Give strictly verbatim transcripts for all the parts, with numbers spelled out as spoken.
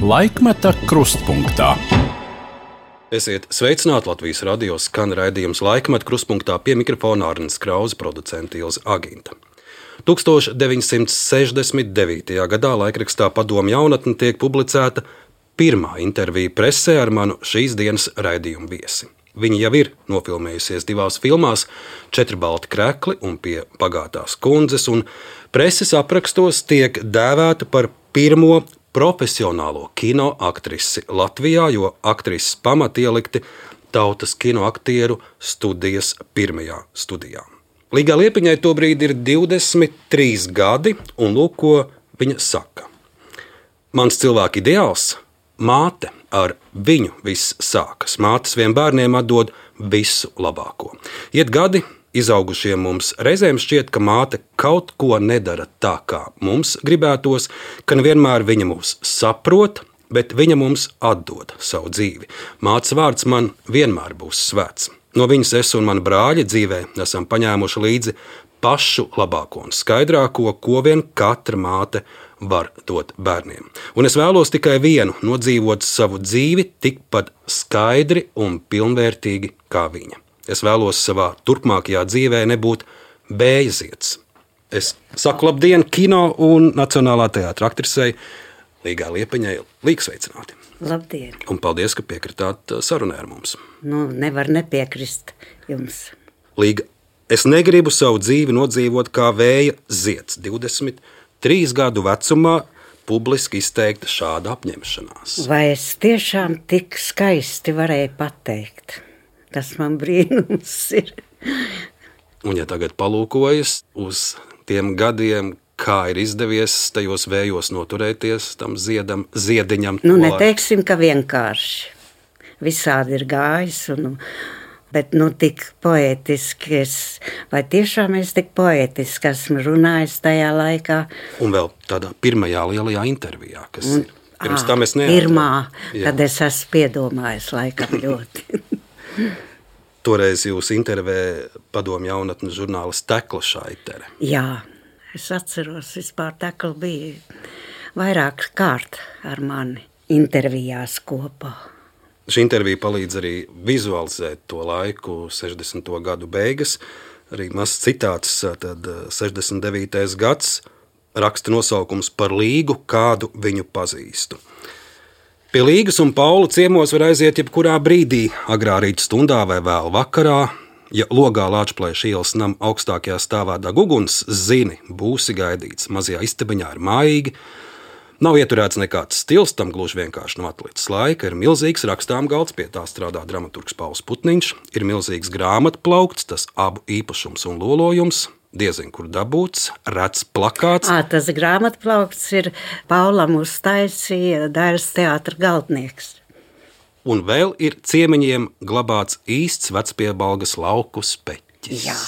Laikmeta krustpunktā. Esiet sveicināti, Latvijas radio skan raidījums Laikmeta krustpunktā, pie mikrofona Arnis Krauze, producente Ilze Aginta. tūkstoš deviņsimt sešdesmit devītajā gadā laikrakstā Padomju jaunatne tiek publicēta pirmā intervija presē ar manu šīs dienas raidījumu viesi. Viņa jau ir nofilmējusies divās filmās, Četri balti krekli un Pie pagātās kundzes, un preses aprakstos tiek dēvēta par pirmo profesionālo kino aktrisi Latvijā, jo aktrises pamati ielikti Tautas kinoaktieru studijas pirmajā studijā. Līgai Liepiņai tobrīd ir divdesmit trīs gadi, un lūk, ko viņa saka. Mans cilvēka ideāls – māte, ar viņu viss sākas. Mātes vien bērniem atdod visu labāko. Iet gadi, izaugušiem mums reizēm šķiet, ka māte kaut ko nedara tā, kā mums gribētos, ka nevienmēr viņa mūs saprot, bet viņa mums atdod savu dzīvi. Mātes vārds man vienmēr būs svēts. No viņas es un mani brāļi dzīvē esam paņēmuši līdzi pašu labāko un skaidrāko, ko vien katra māte var dot bērniem. Un es vēlos tikai vienu – nodzīvot savu dzīvi tikpat skaidri un pilnvērtīgi kā viņa. Es vēlos savā turpmākajā dzīvē nebūt bējaziets. Es saku labdien kino un Nacionālā teātra aktrisei Līgai Liepiņai. Līga, sveicināti! Labdien! Un paldies, ka piekritāt sarunai ar mums. Nu, nevar nepiekrist jums. Līga, es negribu savu dzīvi nodzīvot kā vēja zieds. divdesmit trīs gadu vecumā publiski izteikta šāda apņemšanās. Vai es tiešām tik skaisti varēju pateikt? Tas man brīnums ir. Un ja tagad palūkojas uz tiem gadiem, kā ir izdevies tajos vējos noturēties tam ziedam, ziediņam? Nu, neteiksim, ka vienkārši. Visādi ir gājis un... Bet, nu, tik poētiski es, vai tiešām es tik poētiski esmu runājis tajā laikā. Un vēl tādā pirmajā lielajā intervijā, kas un, ir. Pirms tam es neatceros. Pirmā, Jā. Kad es esmu piedomājis laikam ļoti. Toreiz jūs intervē Padomju jaunatnes žurnālis Tekla Šaitere. Jā, es atceros, vispār Tekla bija vairāk kārt ar mani intervijās kopā. Šī intervija palīdz arī vizualizēt to laiku, sešdesmito gadu beigas. Arī mazs citāts, tad sešdesmit devītais gads, raksta nosaukums par Līgu, kādu viņu pazīstu. Pie Līgas un Paula ciemos var aiziet jebkurā brīdī, agrā rīta stundā vai vēl vakarā. Ja logā Lāčplēša ielas nama augstākajā stāvā deg uguns, zini, būsi gaidīts. Mazajā istabiņā ir mājīgi. Nav ieturēts nekāds stils, tam gluži vienkārši nav atlicis laika, ir milzīgs rakstām galds, pie tā strādā dramaturgs Pauls Putniņš, ir milzīgs grāmatplaukts, tas abu īpašums un lolojums, diezin kur dabūts, rets plakāts. Ā, tas grāmatplaukts ir Paulam uztaisīja Dairas teātra galdnieks. Un vēl ir ciemiņiem glabāts īsts vecpiebalgas lauku speķis. Jā.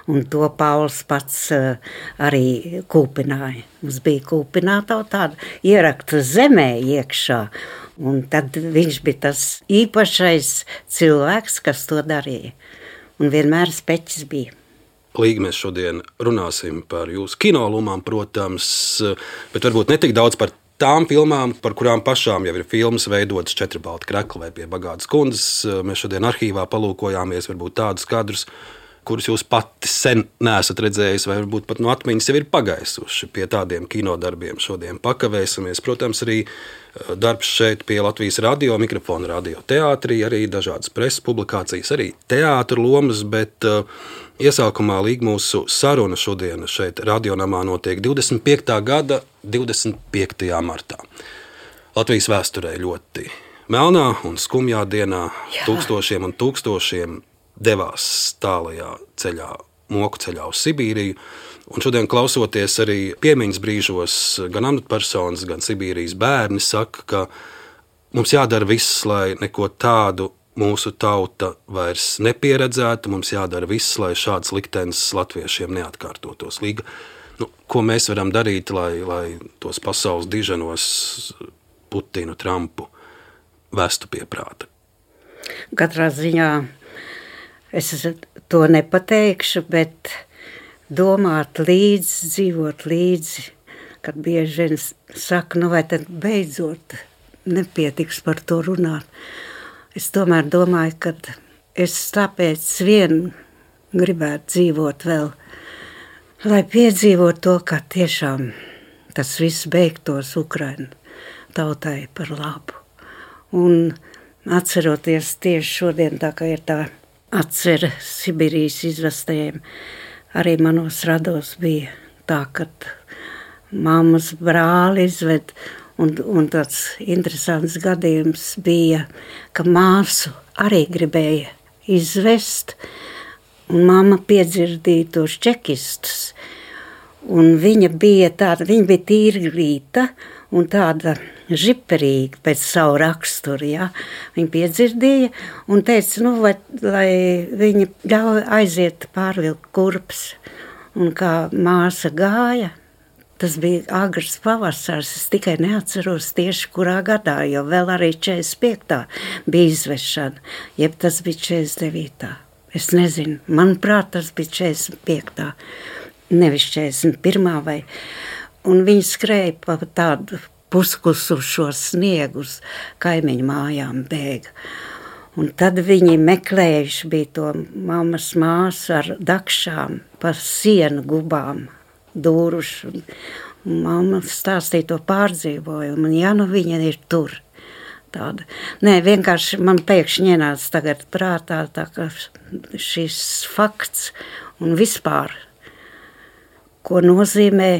Un to Pauls pats uh, arī kūpināja. Mums bija kūpināta tāda ierakta zemē iekšā. Un tad viņš bija tas īpašais cilvēks, kas to darīja. Un vienmēr speķis bija. Līga, mēs šodien runāsim par jūsu kinolumām, protams, bet varbūt ne tik daudz par tām filmām, par kurām pašām jau ir filmas veidotas Četri balti krekli vai Pie pagātās kundzes. Mēs šodien arhīvā palūkojāmies varbūt tādus kadrus, kurus jūs pati sen neesat redzējis, vai varbūt pat no atmiņas jau ir pagaisuši. Pie tādiem kinodarbiem šodien pakavēsimies. Protams, arī darbs šeit pie Latvijas radio, mikrofona radio teātrī, arī dažādas preses publikācijas, arī teātra lomas, bet uh, iesākumā Līga mūsu saruna šodien šeit radionamā notiek divdesmit piektā gada divdesmit piektajā martā. Latvijas vēsturē ļoti melnā un skumjā dienā. Jā. Tūkstošiem un tūkstošiem devās tālajā ceļā, moku ceļā uz Sibīriju, un šodien klausoties arī piemiņas brīžos, gan amatpersonas, gan Sibīrijas bērni saka, ka mums jādara viss, lai neko tādu mūsu tauta vairs nepieredzētu, mums jādara viss, lai šāds liktenis latviešiem neatkārtotos. Līga, nu, ko mēs varam darīt, lai, lai tos pasaules diženos Putinu, Trumpu vestu pie prāta? Katrā ziņā es to nepateikšu, bet domāt līdzi, dzīvot līdzi, kad bieži vien saka, nu vai tad beidzot nepietiks par to runāt. Es tomēr domāju, ka es tāpēc vien gribētu dzīvot vēl, lai piedzīvot to, ka tiešām tas viss beigtos Ukraina tautai par labu. Un atceroties tieši šodien, tā kā ir tā atcera Sibīrijas izvestējiem, arī manos rados bija tā, ka mammas brāli izved, un, un tāds interesants gadījums bija, ka māsu arī gribēja izvest, un mamma piedzirdīja tos čekistus, un viņa bija tāda, viņa bija tīrgrīta un tāda žiperīga pēc savu raksturu, ja. Viņa piedzirdīja un teica, nu, vai, lai viņa ļauj aiziet pārvilkt kurpes. Un kā māsa gāja, tas bija agrs pavasars, es tikai neatceros tieši kurā gadā, jo vēl arī četrdesmit piektā bija izvešana, jeb tas bija četrdesmit devītā. Es nezinu, manuprāt, tas bija četrdesmit piektā, nevis četrdesmit pirmā vai. Un viņi skrēja pa tādu puskusušo sniegu uz kaimiņu mājām bēga. Un tad viņi meklējuši bija to mammas māsu ar dakšām pa sienu gubām dūruši. Un mamma stāstīja to pārdzīvojumu, un ja nu viņa ir tur. Tāda. Nē, vienkārši man pēkšņi ienāca tagad prātā tā, ka šis fakts un vispār, ko nozīmē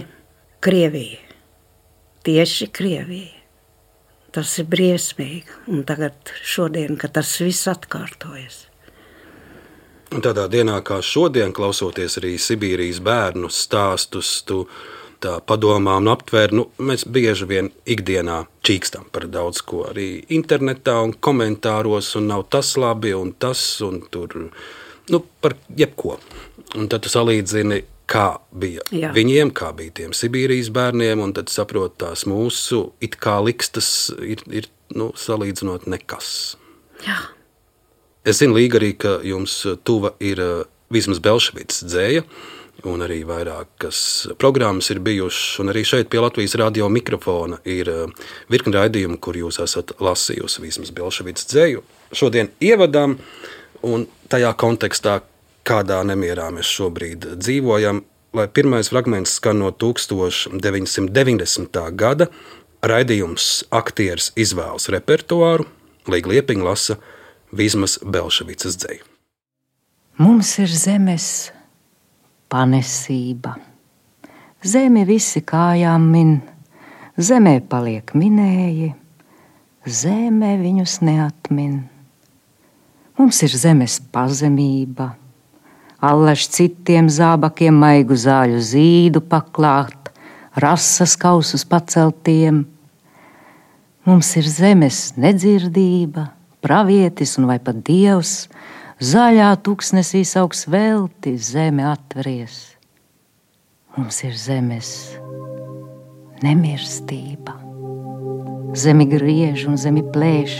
Krievija. Tieši Krievija. Tas ir briesmīgi. Un tagad šodien, kad tas viss atkārtojas. Un tādā dienā kā šodien, klausoties arī Sibīrijas bērnu stāstus, tu tā padomā un aptver, nu, mēs bieži vien ikdienā čīkstam par daudz ko arī internetā un komentāros, un nav tas labi un tas, un tur, nu, par jebko. Un tad tu salīdzini, kā bija Jā. Viņiem, kā bija tiem Sibīrijas bērniem, un tad saprot tās mūsu it kā likstas ir, ir nu, salīdzinot nekas. Jā. Es zinu, Līga, arī, ka jums tuva ir Vizmas Belševics dzēja, un arī vairākas programmas ir bijušas, un arī šeit pie Latvijas radio mikrofona ir virkni raidījumi, kur jūs esat lasījusi Vizmas Belševics dzēju. Šodien ievadām, un tajā kontekstā, kādā nemierā mēs šobrīd dzīvojam, lai pirmais fragments skan no tūkstoš deviņsimt deviņdesmitā gada, raidījums aktieris izvēlas repertuāru, Līga Liepiņa lasa Vizmas Belševicas dzeju. Mums ir zemes panesība. Zemi visi kājām min, zemē paliek minēji, zeme viņus neatmin. Mums ir zemes pazemība, allaž citiem zābakiem maigu zāļu zīdu paklāt, rasas kausus paceltiem. Mums ir zemes nedzirdība, pravietis un vai pat dievs, zaļā tuksnesī sauks velti, zeme atveries. Mums ir zemes nemirstība. Zemi griež un zemi plēš,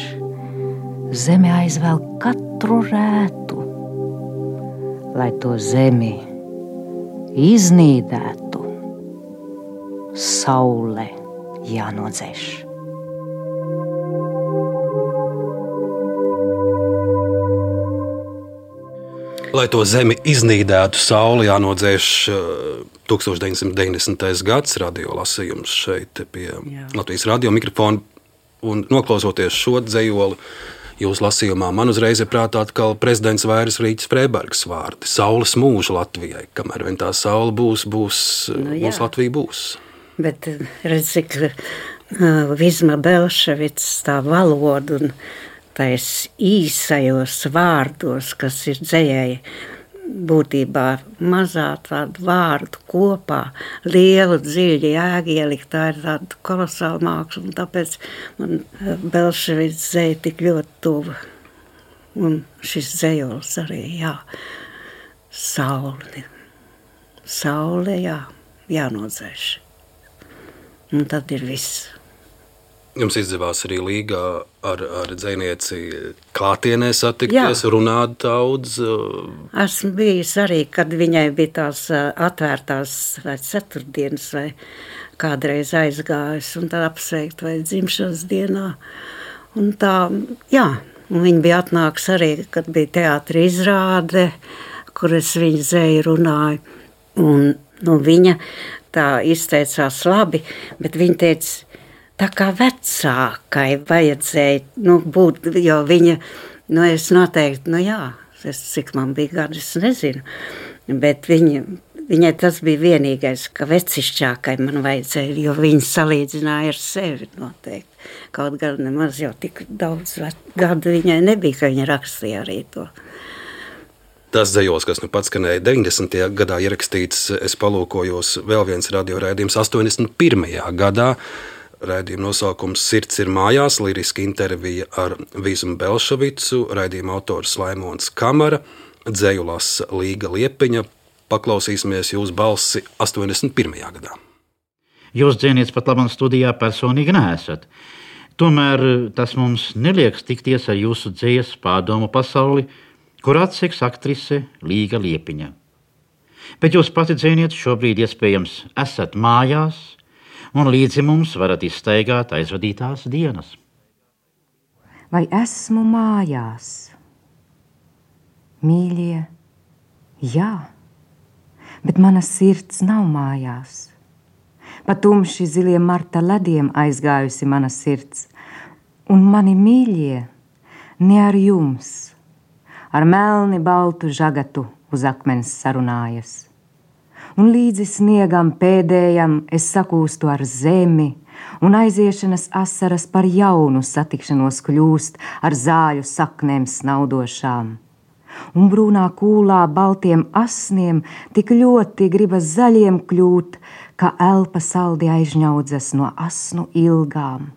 zeme aizvēl katru rētu, lai to zemi iznīdētu, saule jānodzēš. Lai to zemi iznīdētu, sauli jānodzēš tūkstoš deviņsimt deviņdesmitais gads radio lasījums šeit pie Jā. Latvijas radio mikrofona, un noklausoties šo dzejoli, jūs lasījumā man uzreiz ir prātā atkal prezidents Vairas Rīķis Freibergs vārdi. Saules mūža Latvijai. Kamēr vien tā saule būs, būs, nu, būs Latvija būs. Bet redz, cik uh, Vizma Belševics tā valoda un tais īsajos vārdos, kas ir dzejai, būtībā mazā tādu vārdu kopā, lielu dziļu jēgu ielikt, tā ir tāda kolosāla māksla, un tāpēc man Belševics dzeja tik ļoti tuva. Un šis dzejols arī, jā, saule, saule, jā, jānodzēš. Un tad ir viss. Jums izdevās arī Līgā ar, ar dzejnieci klātienē satikties, Jā. Runāt daudz? Esmu bijis arī, kad viņai bija tās atvērtās vai ceturtdienas vai kādreiz aizgājusi un tad apsveikt vai dzimšanas dienā. Un tā, jā, un viņa bija atnākusi arī, kad bija teātra izrāde, kur es viņu zēju runāju. Un nu, viņa tā izteicās labi, bet viņa teica, tā kā vecākai vajadzēja nu, būt, jo viņa, nu es noteikti, nu jā, es, cik man bija gadi, es nezinu, bet viņa, viņai tas bija vienīgais, ka vecišķākai man vajadzēja, jo viņa salīdzināja ar sevi noteikti. Kaut gan nemaz jau tik daudz gadu viņai nebija, ka viņa rakstīja arī to. Tas dzejos, kas nu pats skanēja deviņdesmitajā gadā ierakstīts, es palūkojos vēl viens radioraidījums astoņdesmit pirmajā gadā. Raidījuma nosaukums Sirds ir mājās, liriska intervija ar Vizmu Belševicu, raidījuma autors Laimons Kamara, dzeju lasa Līga Liepiņa. Paklausīsimies jūsu balsi astoņdesmit pirmajā gadā. Jūs dzēniets pat labam studijā personīgi neesat. Tomēr tas mums neliekas tikties ar jūsu dzējas pārdomu pasauli, kur atseks aktrise Līga Liepiņa. Bet jūs pati dzēniet šobrīd iespējams esat mājās un līdzi mums varat izstaigāt aizvadītās dienas. Vai esmu mājās? Mīļie, jā, bet mana sirds nav mājās. Pa tumši ziliem marta lediem aizgājusi mana sirds, un mani mīļie ne ar jums, ar melni baltu žagatu uz akmens sarunājas. Un līdzi sniegam pēdējam es sakūstu ar zemi, un aiziešanas asaras par jaunu satikšanos kļūst ar zāļu saknēm snaudošām. Un brūnā kūlā baltiem asniem tik ļoti gribas zaļiem kļūt, ka elpa saldi aizņaudzas no asnu ilgām.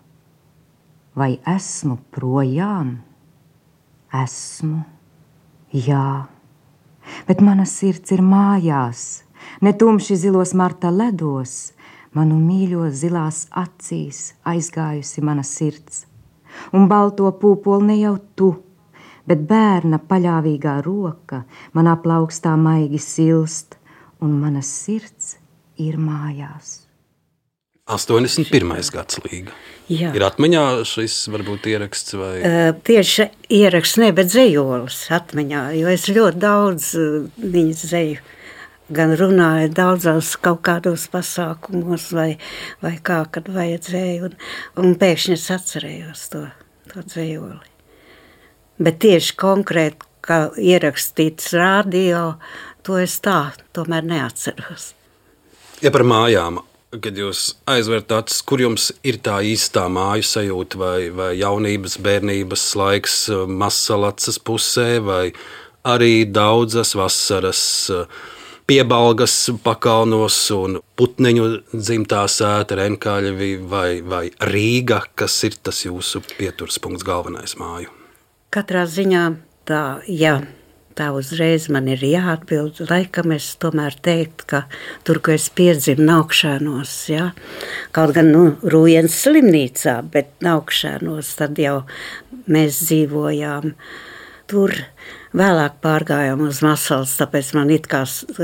Vai esmu projām? Esmu, jā, bet mana sirds ir mājās, ne tumši zilos marta ledos, manu mīļo zilās acīs aizgājusi mana sirds, un balto pūpoli ne jau tu, bet bērna paļāvīgā roka manā plaukstā maigi silst, un mana sirds ir mājās. astoņdesmit pirmais gads Līga. Jā. Ir atmiņā šis varbūt ieraksts vai? Uh, tieši ieraksts ne, bet dzejolis atmiņā, jo es ļoti daudz uh, viņas dzeju. Gan runāju daudzās kaut kādos pasākumos vai, vai kā, kad vajadzēja, un, un pēkšņi es atcerējos to, to dzejoli. Bet tieši konkrēti, kā ierakstīts radio, to es tā tomēr neatceros. Ja par mājām, kad jūs aizverat acis, kur jums ir tā īstā māju sajūta vai, vai jaunības, bērnības laiks Mazsalacas pusē vai arī daudzas vasaras Piebalgas pakalnos un Putneņu dzimtā sēta Renkaļevi vai, vai Rīga, kas ir tas jūsu pieturspunkts galvenais māju? Katrā ziņā tā, ja tā uzreiz man ir jāatbild, laikam es tomēr teiktu, ka tur, ko es piedzimu Naukšanos, ja? Kaut gan, nu, Rūjens slimnīcā, bet Naukšanos, tad jau mēs dzīvojām tur. Vēlāk pārgājām uz Mazsalacu, tāpēc man it kā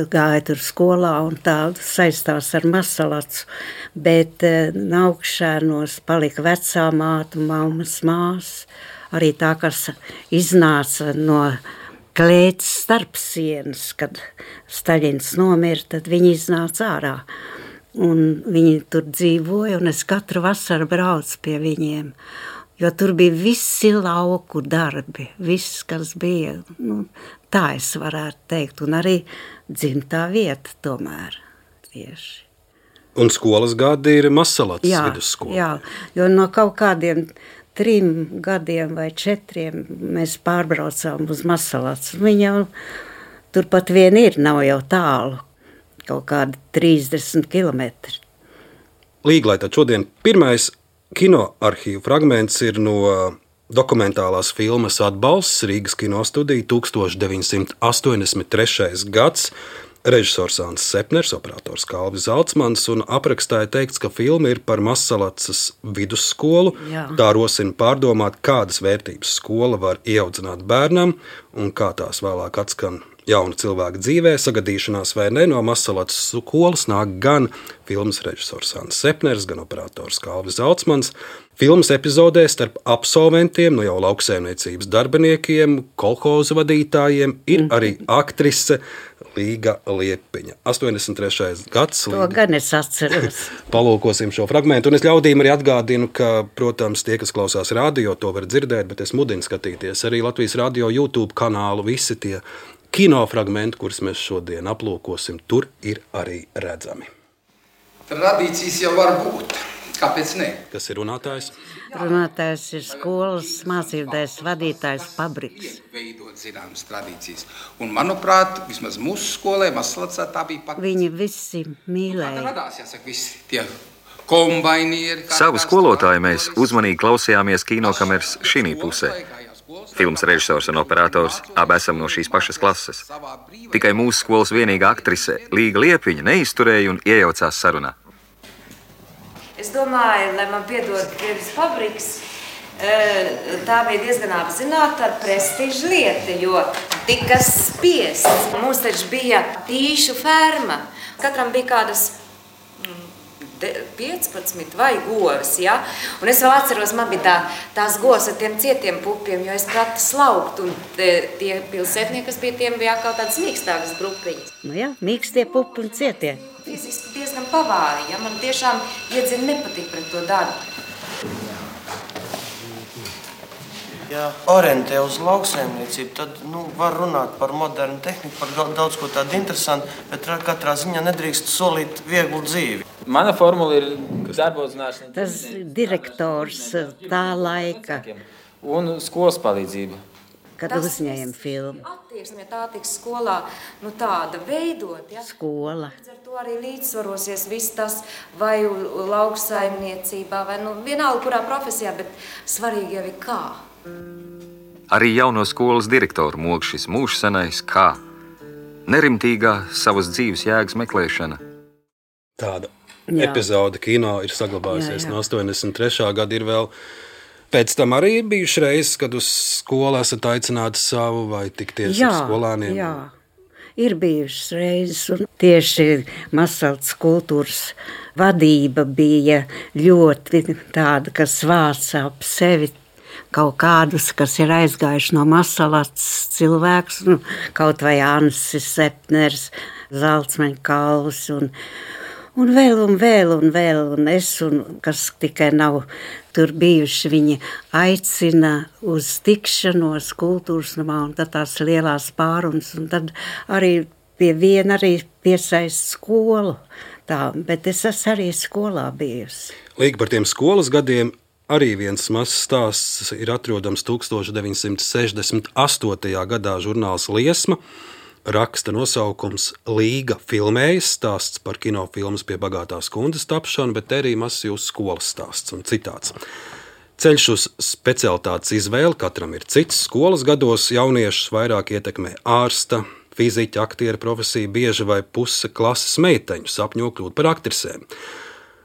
gāja tur skolā un tā saistās ar Mazsalacu, bet Naukšanos palika vecā māte, mammas mās, arī tā, kas iznāca no klēts starpsienas, kad Staļins nomira, tad viņi iznāca ārā. Un viņi tur dzīvoja, un es katru vasaru braucu pie viņiem. Jo tur bija visi lauku darbi, viss, kas bija, nu, tā es varētu teikt, un arī dzimtā vieta tomēr tieši. Un skolas gadi ir Mazsalacas vidusskola. Jā, jo no kaut kādiem trim gadiem vai četriem mēs pārbraucām uz Mazsalacu. Viņa jau turpat vien ir, nav jau tālu, kaut kādi trīsdesmit kilometri. Līga, lai tad šodien pirmais kinoarhīvu fragments ir no dokumentālās filmas Atbalsts, Rīgas kinostudija, deviņdesmit astoņdesmit trešais gads. Režisors Ansis Sepners, operators Kalvis Zalcmans, un aprakstā ir teikts, ka filma ir par Masalacas vidusskolu. Jā. Tā rosina pārdomāt, kādas vērtības skola var ieaudzināt bērnam un kā tās vēlāk atskan jauna cilvēka dzīvē, sagadīšanās vai ne. No Masalacas skolas nāk gan filmas režisors Ansis Sepners, gan operators Kalvis Zalcmans. Filmas epizodē starp absolventiem, no jau lauksaimniecības darbiniekiem, kolhozu vadītājiem ir arī aktrise Līga Liepiņa. astoņdesmit trešais gads. To Līga. gan es atceros. Palūkosim šo fragmentu. Un es ļaudīm arī atgādinu, ka, protams, tie, kas klausās radio, to var dzirdēt, bet es mudinu skatīties arī Latvijas radio YouTube kanālu. Visi tie kinofragmenti, kurus mēs šodien aplūkosim, tur ir arī redzami. Tradīcijas jau var būt. Kāpēc ne? Kas ir runātājs? Runātājs ir skolas mācībdēļas vadītājs Pabriks. Veidot zināmas tradīcijas. Un, manuprāt, vismaz mūsu skolē, Masalacā tā bija pat... Viņi visi mīlēja. Radās, jāsaka, visi tie kombainieri. Savu skolotāju mēs uzmanīgi klausījāmies kinokameras šī pusē. Filmas režisors un operators abi esam no šīs pašas klases. Tikai mūsu skolas vienīgā aktrise Līga Liepiņa neizturēja un iejaucās sarunā. Es domāju, lai man piedod Krievijas Pabriks, tā bija diezgan apzināta prestiža lieta, jo tika spiests. Mums taču bija tīšu ferma. Katram bija kādas piecpadsmit vai govs, ja? Un es vēl atceros, man bija tā, tās govs ar tiem cietiem pupiem, jo es pratu slaukt, un tie pilsētnieki, kas bija tiem, bija kaut tādas mīkstākas grupiņas. Nu jā, mīkstie pupi un cietie. Fiziski diezgan pavāri, ja? Man tiešām iedzina nepatīk pret to darbu. Ja orientē uz lauksaimniecību, tad nu, var runāt par modernu tehniku, par daudz ko tādu interesantu, bet katrā ziņā nedrīkst solīt vieglu dzīvi. Mana formula ir darba uzzināšana. Tas direktors tā laika. Un skolas palīdzība. Kad Tas uzņēma filmu. Attieksme, tā tiks skolā, nu tāda veidot, ja? Skola. Ar to arī līdzsvarosies viss tas, vai lauksaimniecībā, vai nu vienalga, kurā profesijā, bet svarīgi jau ir kā. Arī jauno skolas direktoru mog šis mūžsenais kā nerimtīgā savas dzīves jēgas meklēšana. Tāda Jā. epizode kino ir saglabājusies Jā, jā. no astoņdesmit trešā gada. Ir vēl pēc tam arī bijuši reizes, kad uz skolu esat aicināti savu vai tikties Jā, ar skolāniem. jā. Ir bijušas reizes, un tieši Masalacas kultūras vadība bija ļoti tāda, kas vāca ap sevi kaut kādus, kas ir aizgājuši no Masalacas cilvēkus, nu, kaut vai Ansis Sepners, Zalcmeņa Kalvis un, un vēl un vēl un vēl, un es, un kas tikai nav tur bijuši, viņi aicina uz tikšanos kultūras namā, un tad tās lielās pārunas, un tad arī pie viena arī piesaist skolu. Tā, bet es esmu arī skolā bijusi. Līga par tiem skolas gadiem. Arī viens mazs stāsts ir atrodams tukstovš deviņsimt sešdesmit astotajā gadā žurnāls Liesma. Raksta nosaukums Līga filmējas, stāsts par kinofilmas Pie bagātās kundzes tapšanu, bet arī mazs jūsu skolas stāsts un citāts. Ceļš uz specialitātes izvēli katram ir cits. Skolas gados jauniešus vairāk ietekmē ārsta, fiziķa, aktiera profesija, bieži vai puse klases meiteņu sapņo kļūt par aktrisēm.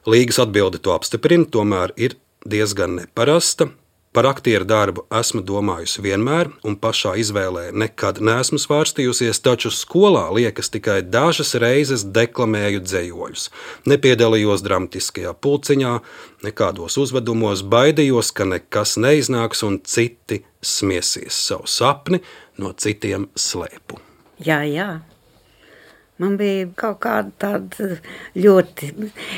Līgas atbilde to apstiprina, tomēr ir diezgan neparasta. Par aktieru darbu esmu domājusi vienmēr, un pašā izvēlē nekad neesmu svārstījusies, taču skolā liekas tikai dažas reizes deklamēju dzējoļus. Nepiedalījos dramatiskajā pulciņā, nekādos uzvedumos, baidījos, ka nekas neiznāks un citi smiesies. Savu sapni no citiem slēpu. Jā, jā. Man bija kaut kāda tāda ļoti,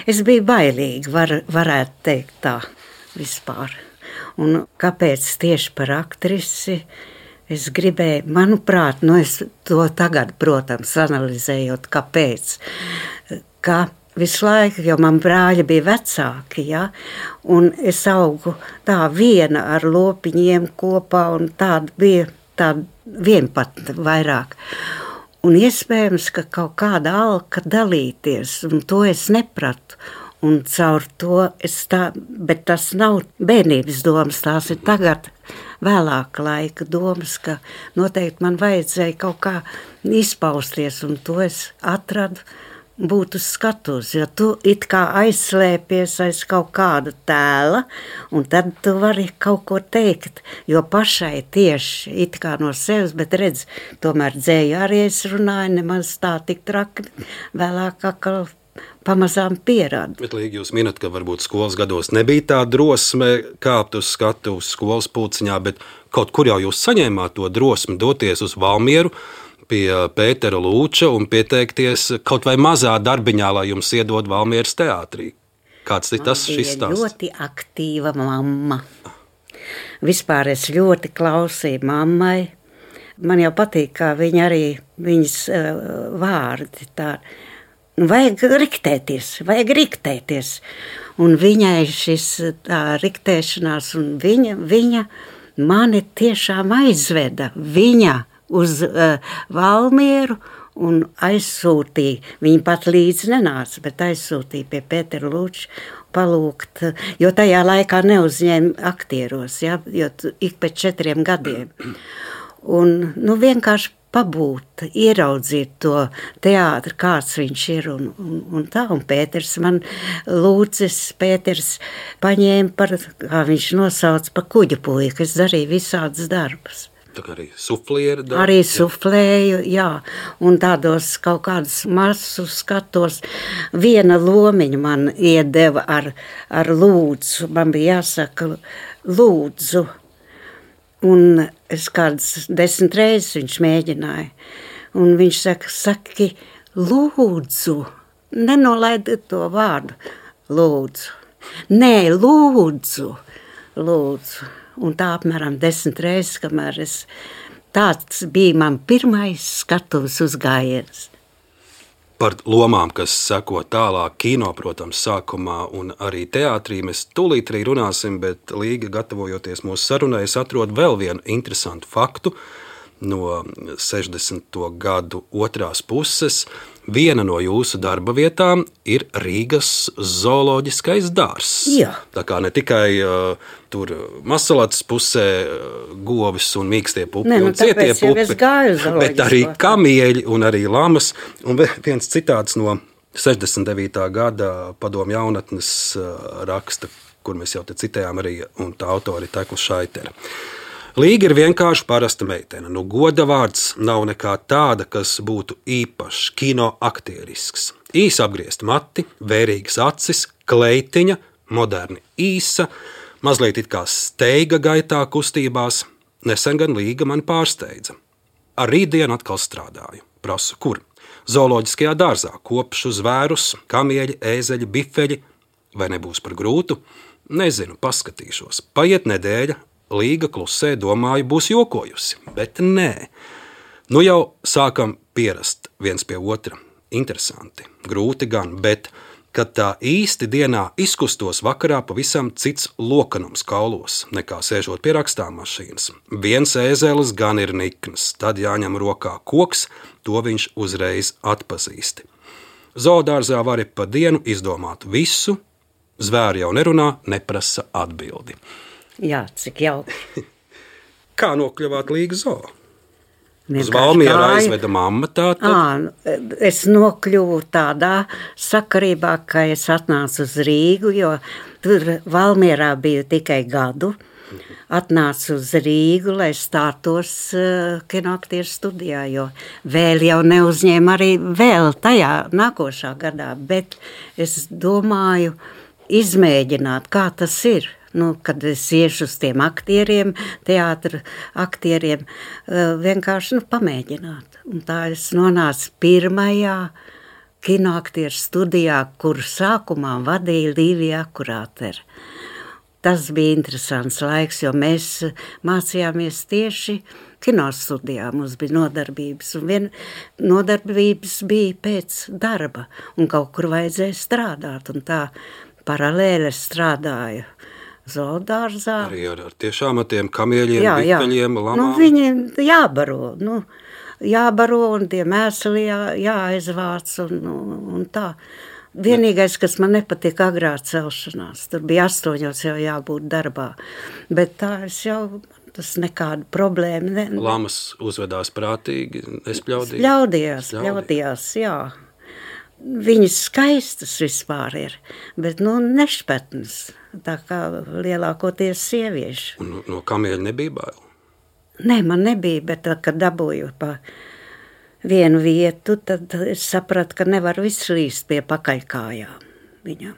es biju bailīga, var, varētu teikt tā vispār. Un kāpēc tieši par aktrisi es gribēju, manuprāt, nu es to tagad, protams, analizējot, kāpēc, ka visu laiku, jo man brāļi bija vecāki, ja, un es augu tā viena ar lopiņiem kopā, un tāda bija tāda vienpatne vairāk. Un iespējams, ka kaut kāda alka dalīties, un to es nepratu. Un caur to es tā, bet tas nav bērnības domas, tās ir tagad vēlāka laika domas, ka noteikti man vajadzēja kaut kā izpausties, un to es atradu būt uz skatuves, jo tu it kā aizslēpies aiz kaut kāda tēla, un tad tu vari kaut ko teikt, jo pašai tieši it kā no sevis, bet redz, tomēr dzēju arī es runāju, nemaz tā tik traki, vēlāk atkal pamazām pierāda. Bet Līga, jūs minat, ka varbūt skolas gados nebija tā drosme kāpt uz skatuves skolas pulciņā, bet kaut kur jau jūs saņēmāt to drosmi doties uz Valmieru, pie Pētera Lūča un pieteikties kaut vai mazā darbiņā, lai jums iedod Valmieras teātrī. Kāds ir tas šis stāsts? Ļoti aktīva mamma. Vispār es ļoti klausīju mammai. Man jau patīk, kā viņa arī, viņas uh, vārdi tā. Vajag riktēties, vajag riktēties. Un viņai šis tā riktēšanās, un viņa, viņa mani tiešām aizveda. Viņa uz uh, Valmieru un aizsūtīja, viņa pat līdzi nenāca, bet aizsūtīja pie Pētera Lūča palūgt, jo tajā laikā neuzņēma aktieros, ja, jo ik pēc četriem gadiem. Un, nu, vienkārši pabūt, ieraudzīt to teātri, kāds viņš ir, un, un, un tā, un Pēters man Lūcis, Pēters paņēma par, kā viņš nosauc, pa kuģu puiku, es darīju visādas darbus. Tā kā arī suflieri darbu. Arī suflēju, jā, un tādos kaut kādus masu skatos. Viena lomiņa man iedeva ar, ar lūdzu, man bija jāsaka lūdzu, un es kādas desmit reizes viņš mēģināja, un viņš saka, saki lūdzu, nenolaidi to vārdu, lūdzu, nē, lūdzu, lūdzu. Un tā apmēram desmit reizes, kamēr es, tāds bija man pirmais skatuves uzgājiens. Par lomām, kas seko tālāk kino, protams, sākumā un arī teātrī mēs tūlīt arī runāsim, bet Līga, gatavojoties mūsu sarunai, es atrodu vēl vienu interesantu faktu no sešdesmito gadu otrās puses. Viena no jūsu darba vietām ir Rīgas zooloģiskais dārzs. Jā. Tā kā ne tikai uh, tur Masalats pusē uh, govis un mīkstie pupi ne, nu, un cietie pupi, bet arī kamieļi un arī lamas. Un viens citāts no sešdesmit devītā gada Padomju jaunatnes uh, raksta, kur mēs jau te citējām arī, un tā autori Tekla Šaitera. Līga ir vienkārši parasta meitene. Nu, goda vārds nav nekā tāda, kas būtu īpašs, kino aktierisks. Īsi apgriezt mati, vērīgas acis, kleitiņa, moderni īsa, mazliet it kā steiga gaitā kustībās. Nesen gan Līga mani pārsteidza. Ar rītdienu atkal strādāju. Prasu, kur? Zooloģiskajā dārzā kopšu zvērus, kamieļi, ēzeļi, bifeļi. Vai nebūs par grūtu? Nezinu, paskatīšos. Paiet nedēļa. Līga klusē, domāju, būs jokojusi, bet nē. Nu jau sākam pierast viens pie otra. Interesanti, grūti gan, bet, kad tā īsti dienā izkustos vakarā, pavisam cits lokanums kaulos, nekā sēžot pie rakstāmašīnas. Viens ēzelis gan ir nikns, tad jāņem rokā koks, to viņš uzreiz atpazīst. Zoodārzā vari pa dienu izdomāt visu, zvēri jau nerunā, neprasa atbildi. Jā, cik jauki. Kā nokļuvāt Līgas zoo? Uz Valmieru aizveda mamma tātad? Ā, es nokļuvu tādā sakarībā, ka es atnācu uz Rīgu, jo tur Valmierā biju tikai gadu. Atnācu uz Rīgu, lai stātos uh, kinoaktieru studijā, jo vēl jau neuzņēma arī vēl tajā nākošā gadā, bet es domāju izmēģināt, kā tas ir. Nu, kad es iešu uz tiem aktieriem, teātra aktieriem, vienkārši nu, pamēģināt. Un tā es nonācu pirmajā kinoaktieru studijā, kur sākumā vadīja Līvija Akurātere. Tas bija interesants laiks, jo mēs mācījāmies tieši kinostudijā. Mums bija nodarbības, un vien nodarbības bija pēc darba, un kaut kur vajadzēja strādāt, un tā paralēli strādāju zoodārzā. Arī ar, ar tiešām ar tiem kamieļiem, jā, bifeļiem, lamām. Nu, viņi jābaro, nu, jābaro un tie mēsli jā, jāaizvāc un, un tā. Vienīgais, kas man nepatīk, agrā celšanās. Tur bija astoņos jau jābūt darbā. Bet tā es jau, tas nekāda problēma. Ne, ne. Lamas uzvedās prātīgi, nespļaudīja? Spļaudījās, spļaudījās, jā. Viņas skaistas vispār ir, bet, nu, nešpetnas. Tā kā lielākoties sievieši. Un no, no kamieļa nebija bail? Nē, man nebija, bet, kad dabūju pa vienu vietu, tad es sapratu, ka nevaru izslīst pie pakaļkājām viņam.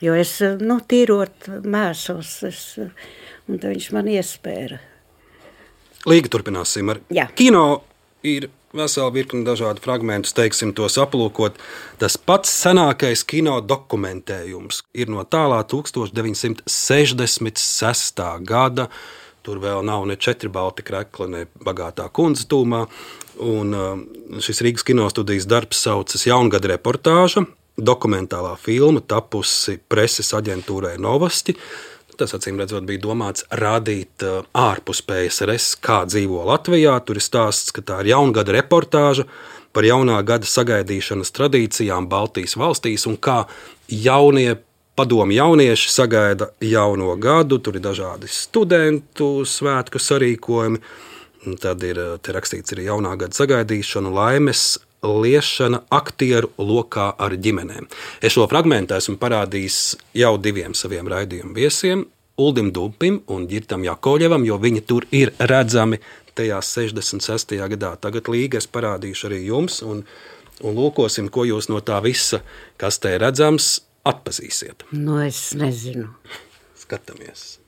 Jo es, nu, tīrot mēsos, es, un tad viņš man iespēra. Līga turpināsim ar Jā. Kino. Ir vesela virkni dažādu fragmentus, teiksim, tos aplūkot. Tas pats senākais kino dokumentējums ir no tālā tūkstoš deviņsimt sešdesmit sestā gada. Tur vēl nav ne četri balti krekli, ne bagātā kundze tūmā. Un šis Rīgas kinostudijas darbs saucas Jaungada reportāža, dokumentālā filma tapusi preses aģentūrai Novosti. Tas, acīm redzot, bija domāts rādīt ārpus P S R S, kā dzīvo Latvijā. Tur ir stāsts, ka tā ir Jaungada reportāža par jaunā gada sagaidīšanas tradīcijām Baltijas valstīs un kā jaunie padomi jaunieši sagaida jauno gadu. Tur ir dažādi studentu svētku sarīkojumi. Tad ir te rakstīts arī jaunā gada sagaidīšana, laimes liešana aktieru lokā ar ģimenēm. Es šo fragmentu esmu parādījis jau diviem saviem raidījumu viesiem, Uldim Dumpim un Ģirtam Jakovļevam, jo viņi tur ir redzami tajā sešdesmit sestajā gadā. Tagad Līga es parādīšu arī jums un, un lūkosim, ko jūs no tā visa, kas te ir redzams, atpazīsiet. Nu, es nezinu. Skatāmies.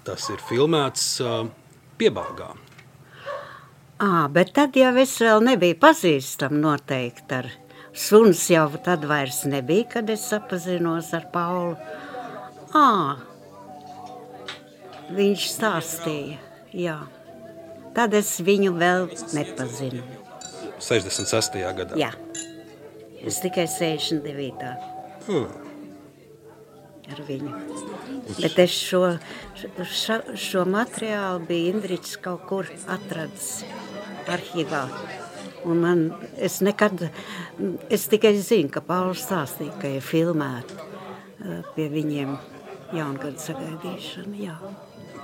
Tas ir filmēts uh, Piebalgā. À, bet tad jau es vēl nebiju pazīstam noteikti ar suns jau tad vairs nebija, kad es sapazinos ar Paulu. À, viņš stāstīja, jā. Tad es viņu vēl nepazinu. sešdesmit sestajā gadā? Jā, es tikai sešdesmit devītā Hmm. ar viņu. Bet es šo, šo, šo materiālu bija Indriķis kaut kur atradis arhīvā. Un man, es nekad, es tikai zinu, ka Pauls stāstīja, ka ir filmēta pie viņiem jaungada sagaidīšana, jā.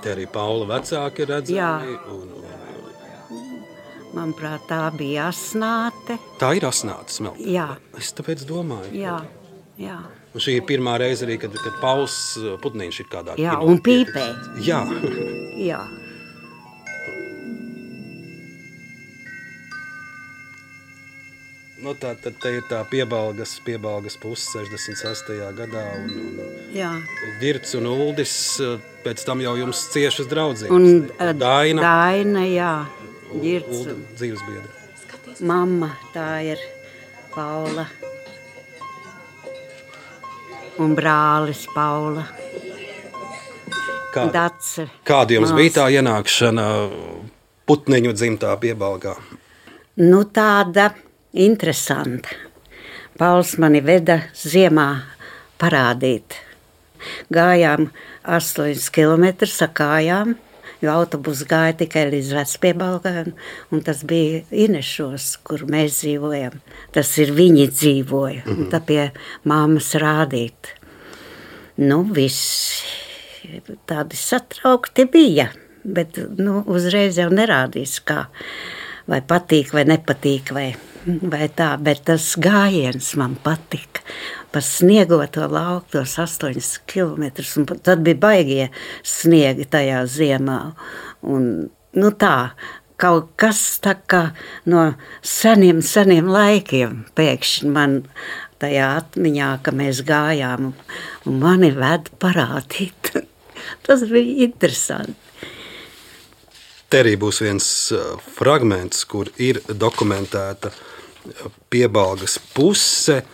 Te arī Paula vecāki ir redzami. Jā. Un, un... Manuprāt, tā bija Asnāte. Tā ir Asnāte Smeltene. Jā. Es tāpēc domāju. Jā, jā. Un šī ir pirmā reize arī, kad, kad Pauls Putniņš ir kādā Jā, kino un pīpē. Jā. Jā. Nu, tā, tad te ir tā piebalgas, piebalgas puse sešdesmit sestajā gadā. Un, un Jā. Ģirts un Uldis, pēc tam jau jums ciešas draudzības. Un uh, Daina. Daina, jā. Ģirts. Ulda dzīvesbiedra. Mamma, tā ir Paula. Un brālis Paula. Kāda, Dace. kāda jums Māsa. bija tā ienākšana Putniņu dzimtā Piebalgā? Nu, tāda interesanta. Pauls mani veda ziemā parādīt. Gājām astoņus kilometrus ar kājām, jo autobus gāja tikai līdz Vecpiebalgai, un tas bija Inešos, kur mēs dzīvojam. Tas ir viņi dzīvoja, un tā pie māmas rādīt. Nu, viss tādi satraukti bija, bet nu, uzreiz jau nerādīs, kā vai patīk, vai nepatīk, vai, vai tā, bet tas gājiens man patika. Pa sniegoto lauku tos astoņus kilometrus, un tad bija baigie sniegi tajā ziemā. Un, nu tā, kaut kas tā kā no seniem, seniem laikiem pēkšņi man tajā atmiņā, ka mēs gājām, un mani ved parādīt. Tas bija interesanti. Te arī būs viens fragments, kur ir dokumentēta Piebalgas puse.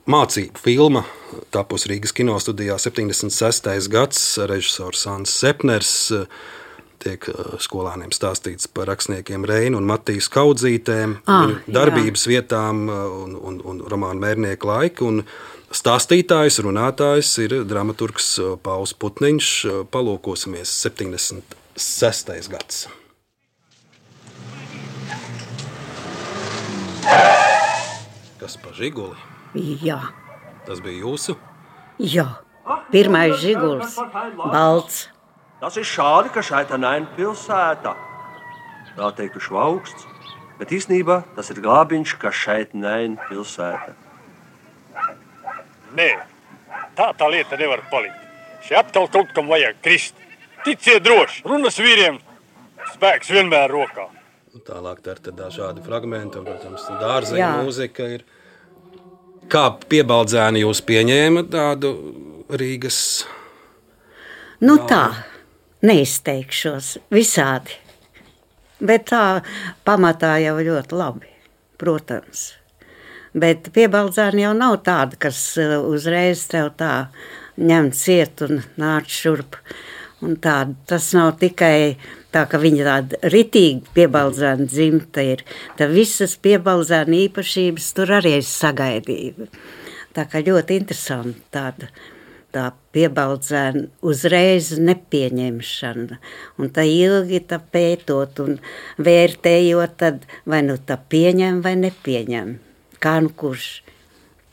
Mācību filma tapusi Rīgas kinostudijā septiņdesmit sestais gads. Režisors Sants Sepners tiek skolāniem stāstīts par rakstniekiem Reinu un Matijas Kaudzītēm, ah, darbības jā. vietām un, un, un romānu Mērnieku laiku. Un stāstītājs, runātājs ir dramaturgs Pauls Putniņš. Palūkosimies septiņdesmit sestais gads. Kas pa žiguli? Jā, Tas bija jūsu? jā. Pirmais žiguls, balts. Tas ir šādi, ka Šaitanaina pilsēta. Tā teiktu švauksts, bet īstenībā tas ir glābiņš, ka Šaitanaina pilsēta. Nē, tā tā lieta nevar palikt. Šeit atkal kaut kam vajag krist. Ticiet droši, runas vīriem, spēks vienmēr rokā. Tālāk tā ir dažādi fragmenti, un, protams, dārzeņa mūzika ir. Kā Piebaldzēni jūs pieņēma tādu Rīgas? Nu tā, neizteikšos visādi, bet tā pamatā jau ļoti labi, protams. Bet Piebaldzēni jau nav tāda, kas uzreiz tev tā ņem ciet un nāc šurp. Un tā, tas nav tikai tā, ka viņa tāda ritīgi Piebaldzēna dzimta ir. Tā visas Piebaldzēna īpašības tur arī es sagaidīju. Tā kā ļoti interesanti tāda tā Piebaldzēna uzreiz nepieņemšana. Un tā ilgi tā pētot un vērtējot, tad vai nu tā pieņem vai nepieņem. Kā nu kurš?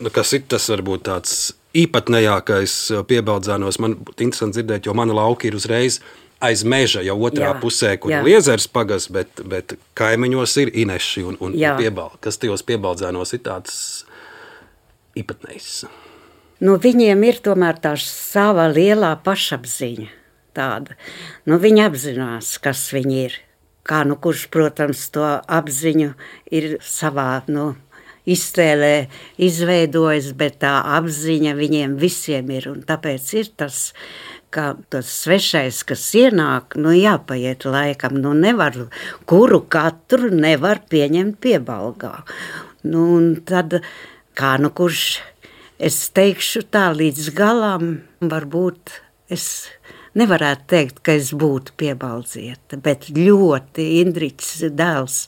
Nu, kas ir tas varbūt tāds īpatnējākais Piebaldzēnos? Man būtu interesanti dzirdēt, jo mani lauki ir uzreiz aiz meža, jau otrā jā, pusē, kur jā. ir Liezers pagas, bet, bet kaimiņos ir Ineši un, un Piebaldzēni. Kas tajos Piebaldzēnos ir tāds īpatnējs? Nu, viņiem ir tomēr tā sava lielā pašapziņa tāda. Nu, viņi apzinās, kas viņi ir. Kā nu kurš, protams, to apziņu ir savā, nu, iztēlē izveidojis, bet tā apziņa viņiem visiem ir. Un tāpēc ir tas, ka tas svešais, kas ienāk, nu jāpaiet laikam. Nu nevar, kuru katru nevar pieņemt Piebalgā. Nu un tad, kā nu kurš, es teikšu tā līdz galam, varbūt es nevarētu teikt, ka es būtu Piebaldzieta, bet ļoti Indriķis dēls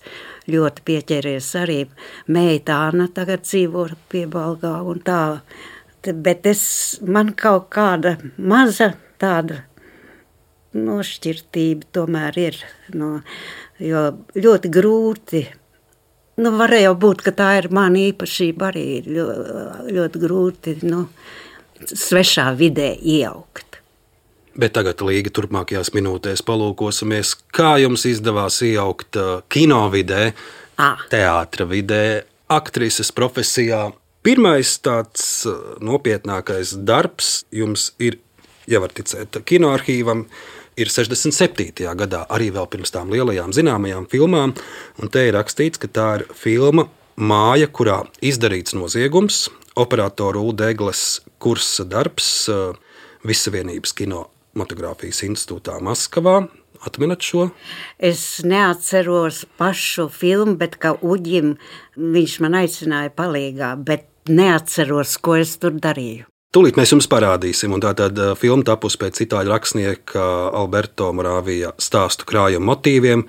ļoti pieķeries arī. Meita Āna tagad dzīvo Piebalgā un tā, bet es, man kaut kāda maza tāda nošķirtība tomēr ir, no, jo ļoti grūti, nu varēja būt, ka tā ir mana īpašība arī, ļoti, ļoti grūti, nu, svešā vidē ieaugt. Bet tagad, Līga, turpmākajās minūtēs palūkosimies, kā jums izdevās iejaukt kino vidē, ah. teātra vidē, aktrises profesijā. Pirmais tāds nopietnākais darbs jums ir, ja var ticēt, kinoarhīvam, ir sešdesmit septītajā gadā, arī vēl pirms tām lielajām zināmajām filmām, un te ir rakstīts, ka tā ir filma Māja, kurā izdarīts noziegums, operatoru Ulda Egles kursa darbs Vissavienības kinematogrāfijas institūtā Maskavā. Atminat šo? Es neatceros pašu filmu, bet kā Uģim viņš man aicināja palīgā, bet neatceros, ko es tur darīju. Tūlīt mēs jums parādīsim, un tā tad filma tapus pēc itāļu rakstnieka Alberto Moravija stāstu krājuma motīviem.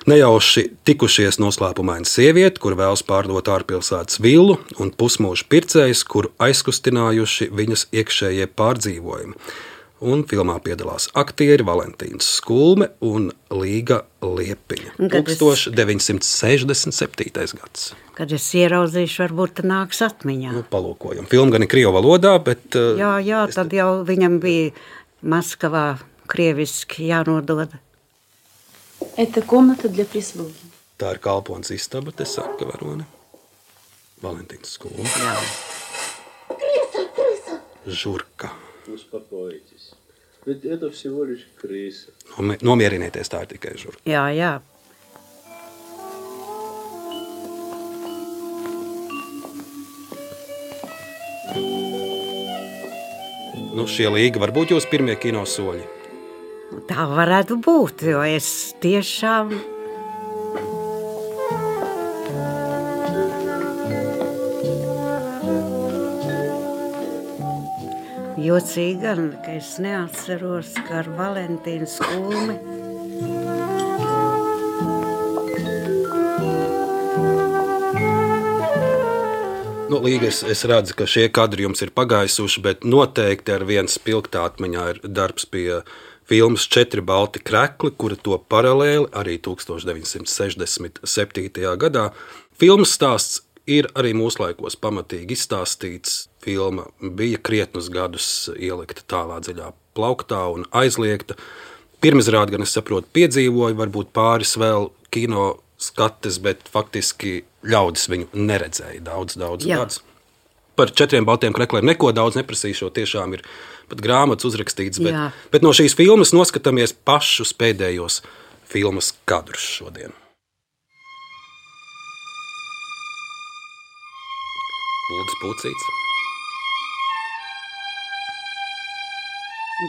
Nejauši tikušies noslēpumaina sieviete, kur vēlas pārdot ārpilsētas villu, un pusmūža pircējs, kuru aizkustinājuši viņas iekšējie pārdzīvojumi. Un filmā piedalās aktieri Valentīns Skulme un Līga Liepiņa. tūkstoš deviņsimt sešdesmit septītais gads. Kad es ieraudzīšu, varbūt nāks atmiņā. Nu, palūkojam. Filma gan ir krievu valodā, bet... Jā, jā, tad jau viņam bija Maskavā krieviski jānodod. Это комната для прислуги. Tā ir kalpons istaba, te saka varone. Valentīns Skulme. Jā. Крыса, крыса. Žurka. Успокойтесь. Ведь это всего лишь крыса. Nomierinieties, tā ir tikai žurka. Jā, jā. Nu, šie Līga varbūt jūs pirmie kino soļi. Tā varētu būt, jo es tiešām... Jocīgi gan, ka es neatceros, ka ar Valentīnu Skulmi. Nu, Līga, es, es redzu, ka šie kadri jums ir pagaisuši, bet noteikti ar viens spilgtā atmiņā ir darbs pie filmas Četri balti krekli, kura to paralēli arī tūkstoš deviņsimt sešdesmit septītajā gadā. Filmas stāsts ir arī mūslaikos pamatīgi izstāstīts. Filma bija krietnus gadus ielikta tālā dziļā plauktā un aizliegta. Pirmizrādi, gan es saprotu, piedzīvoja, varbūt pāris vēl kino skates, bet faktiski ļaudis viņu neredzēja daudz, daudz gadus. Par četriem baltiem krekliem neko daudz neprasīšu, tiešām ir pat grāmatas uzrakstīts, bet, bet no šīs filmas noskatāmies pašus pēdējos filmas kadrus šodien. Lūdzu, Pucīts.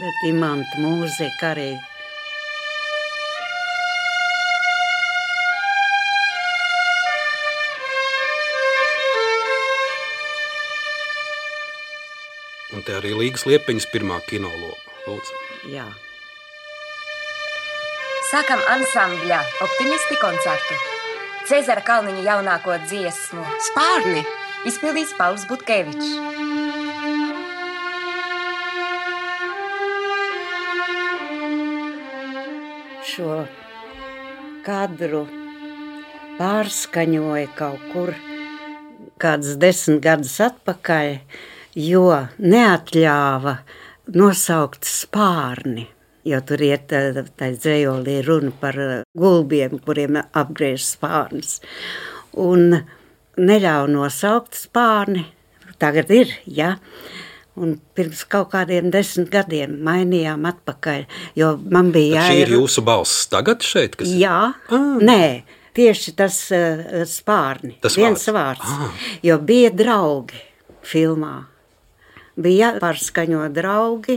Bet imanta mūzika arī. Un te arī Līgas Liepiņas pirmā kinoloma. Lūdzu. Jā. Sākam ansambļa Optimisti koncertu. Cezara Kalniņa jaunāko dziesmu Spārni izpildīs Pauls Butkevičs. Šo kadru pārskaņoja kaut kur kāds desmit gadus atpakaļ, jo neatļāva nosaukt spārni, jo tur iet tā dzējolī runa par gulbiem, kuriem apgriež spārnis. Un neļauj nosaukt spārni, tagad ir, ja, un pirms kaut kādiem desmit gadiem mainījām atpakaļ, jo man bija jāir... Šī ir jūsu balss tagad šeit? Kas... Jā, ah. Nē, tieši tas uh, spārni, tas viens vārds, vārds ah. Jo bija draugi filmā. Bija jāpārskaņo draugi,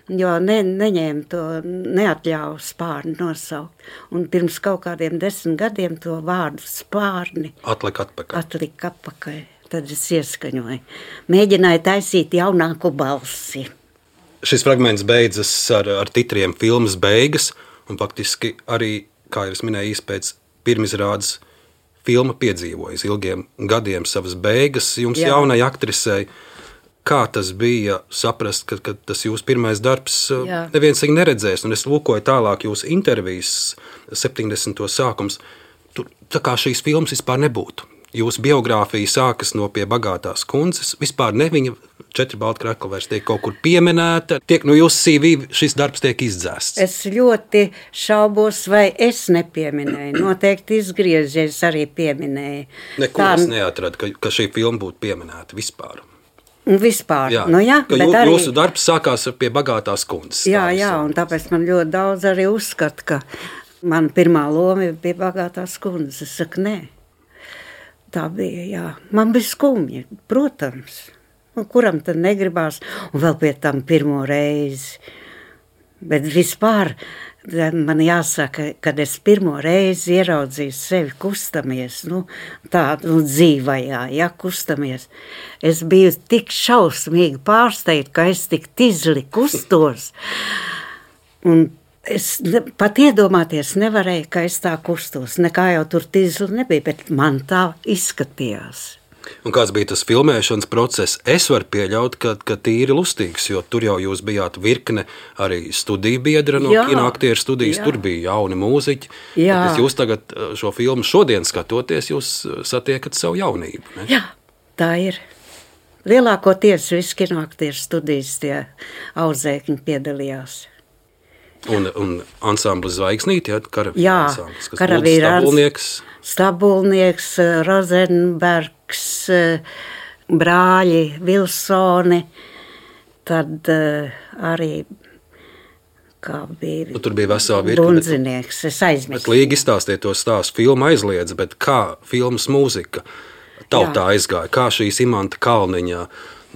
jo ne, neņēma to, neatļauja spārni nosaukt. Un pirms kaut kādiem desmit gadiem to vārdu spārni atlika atpakaļ. Atlika atpakaļ. Tad es ieskaņoju. Mēģināju taisīt jaunāku balsi. Šis fragments beidzas ar, ar titriem filmas beigas, un faktiski arī, kā jau es minēju, pēc pirmizrādes filma piedzīvojas ilgiem gadiem savas beigas. Jums Jā. Jaunai aktrisei, kā tas bija saprast, ka, ka tas jūsu pirmais darbs Jā. Neviens viņu neredzēs, un es lūkoju tālāk jūsu intervijas septiņdesmito sākums, tur tā kā šīs filmas vispār nebūtu. Jūsu biogrāfija sākas no Pie bagātās kundzes, vispār ne viņa četri balti krekli vairs tiek kaut kur pieminēta, tiek no jūsu C V šis darbs tiek izdzēsts. Es ļoti šaubos, vai es nepieminēju, noteikti izgriezies arī pieminēju. Neko Tā... es neatradu, ka, ka šī filma būtu pieminēta vispār. Vispār, jā, nu jā, bet jū, arī... Jūsu darbs sākās Pie bagātās kundzes. Jā, jā, un tāpēc man ļoti daudz arī uzskata, ka man pirmā loma ir Pie bagātās kundzes. Es saku, nē. Tā bija, jā. Man bija skumji, protams. Un kuram tad negribās, un vēl pie tam pirmo reizi. Bet vispār man jāsaka, kad es pirmo reizi ieraudzīju sevi kustamies, nu, tādu nu, dzīvajā, ja, kustamies. Es biju tik šausmīgi pārsteigta, ka es tik tizli kustos. Un es pat iedomāties nevarēju, ka es tā kustos. Nekā jau tur tizli nebija, bet man tā izskatījās. Un kāds bija tas filmēšanas process? Es varu pieļaut, ka, ka tīri lustīgs, jo tur jau jūs bijāt virkne arī studiju biedra no kinoaktieru studijas, jā. Tur bija jauni mūziķi. Bet jūs tagad šo filmu šodien skatoties, jūs satiekat savu jaunību, ne? Jā, tā ir. Lielākoties visi kinoaktieru studijas tie audzēkņi piedalījās. Un, un ansamblis Zvaigznīti, ja, karavīra jā, ansamblis, kas karavīra Stabulnieks. Stabulnieks, Rozenbergs, brāļi Vilsoni, tad uh, arī, kā bija, nu, tur bija vesela virkne. Bundzinieks, es aizmirstu. Bet līgi izstāstiet to stāstu, filma aizliedz, bet kā filmas mūzika tautā jā. Aizgāja, kā šīs Imanta Kalniņa,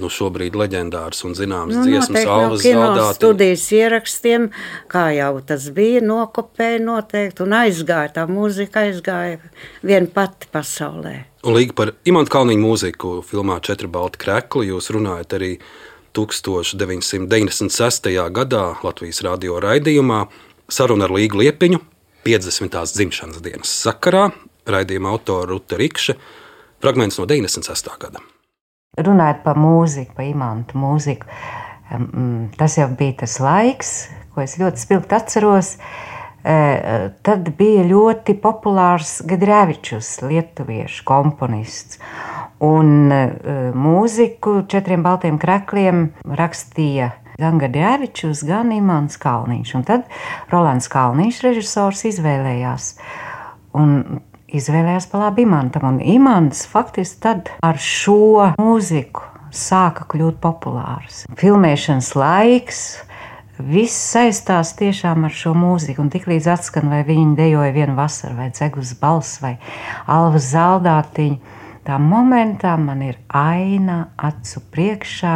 nu šobrīd leģendārs un zināms nu, dziesmas Alvas Zaldāti. No studijas ierakstiem, kā jau tas bija, nokopēja noteikti un aizgāja, tā mūzika aizgāja vien pati pasaulē. Un līgi par Imanta Kalniņa mūziku filmā Četri balti krekli jūs runājat arī tūkstoš deviņsimt deviņdesmit sestajā gadā Latvijas radio raidījumā Saruna ar Līgu Liepiņu piecdesmitās dzimšanas dienas sakarā, raidījuma autora Ruta Rikše, fragments no deviņdesmit sestā gada. Runājot par mūziku, par Imantu mūziku, tas jau bija tas laiks, ko es ļoti spilgti atceros. Tad bija ļoti populārs Gadrēvičus, lietuviešu komponists. Un uh, mūziku Četriem baltiem krekļiem rakstīja gan Gadēvičs, gan Imants Kalniņš. Un tad Rolands Kalniņš, režisors, izvēlējās. Un izvēlējās pa labi Imantam. Un Imants faktiski tad ar šo mūziku sāka kļūt populārs. Filmēšanas laiks, viss saistās tiešām ar šo mūziku. Un tiklīdz atskan, vai viņi dejoja Vienu vasaru, vai Dzegus balss, vai Alva Zaldātiņa, tā momentā man ir aina acu priekšā,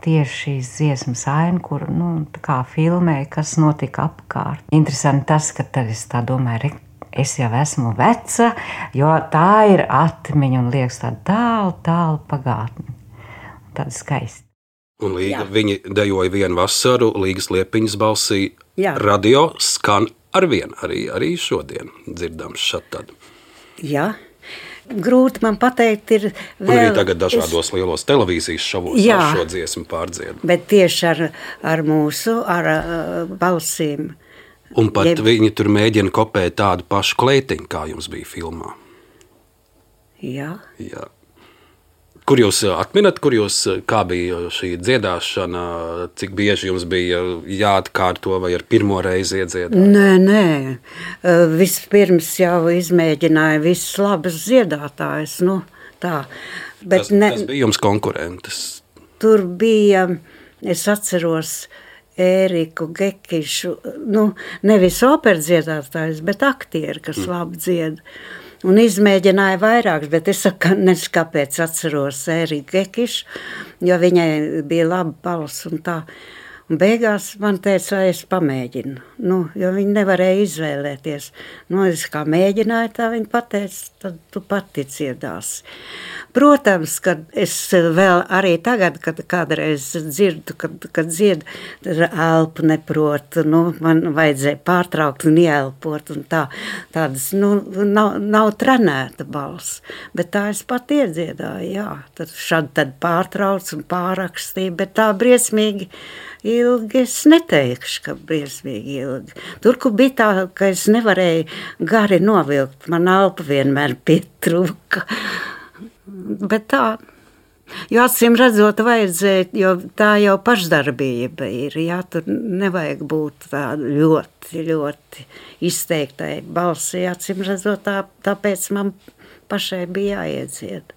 tieši šīs dziesmas aina, kur, nu, tā kā filmē, kas notika apkārt. Interesanti tas, ka tad es tā domāju, es jau esmu veca, jo tā ir atmiņa un liekas tā tālu, tālu pagātni. Tāda skaista. Un Līga, viņi dejoja Vienu vasaru, Līgas Liepiņas balsī. Jā. Radio skan arvien, arī, arī šodien dzirdams šat tad. Jā. Grūti man pateikt, ir vēl... Un arī tagad dažādos es... lielos televīzijas šovos Jā, ar šo dziesmu pārdzied. Bet tieši ar, ar mūsu, ar uh, balsīm. Un pat Jeb... viņi tur mēģina kopēt tādu pašu kleitiņu, kā jums bija filmā. Jā. Jā. Kur jūs atminat, kur jūs, kā bija šī dziedāšana, cik bieži jums bija jāatkārto vai ar pirmo reizi iedziedāt? Nē, nē, vispirms jau izmēģināja visas labas dziedātājas, nu tā. Bet kas, ne, kas bija jums konkurentes? Tur bija, es atceros, Ēriku Gekišu, nu nevis operdziedātājs, bet aktieri, kas mm. labi dzied. Un izmēģināja vairākus, bet es saku, nezinu, kāpēc atceros Ēriku Gekišu, jo viņai bija laba balss un tā. Un beigās man teica, vai es pamēģinu, nu, jo viņi nevarēja izvēlēties. Nu, es kā mēģināju, tā viņi pateica, tad tu pati dziedāsi. Protams, kad es vēl arī tagad, kad kādreiz dzirdu, kad, kad dziedu, tad elpu neprotu, nu, man vajadzēja pārtraukt un ieelpot un tā, tādas, nu, nav, nav trenēta balss, bet tā es pat iedziedāju, jā, tad šad tad pārtrauc un pārakstīju, bet tā briesmīgi ilgi es neteikšu, ka briesmīgi ilgi. Tur, kur bija tā, ka es nevarēju gari novilkt, man elpa vienmēr pietrūka. Bet tā, jo acīm redzot vajadzēja, jo tā jau pašdarbība ir, jā, tur nevajag būt tā ļoti, ļoti izteiktai balsī, acīm redzot, tā, tāpēc man pašai bija jāiedzied.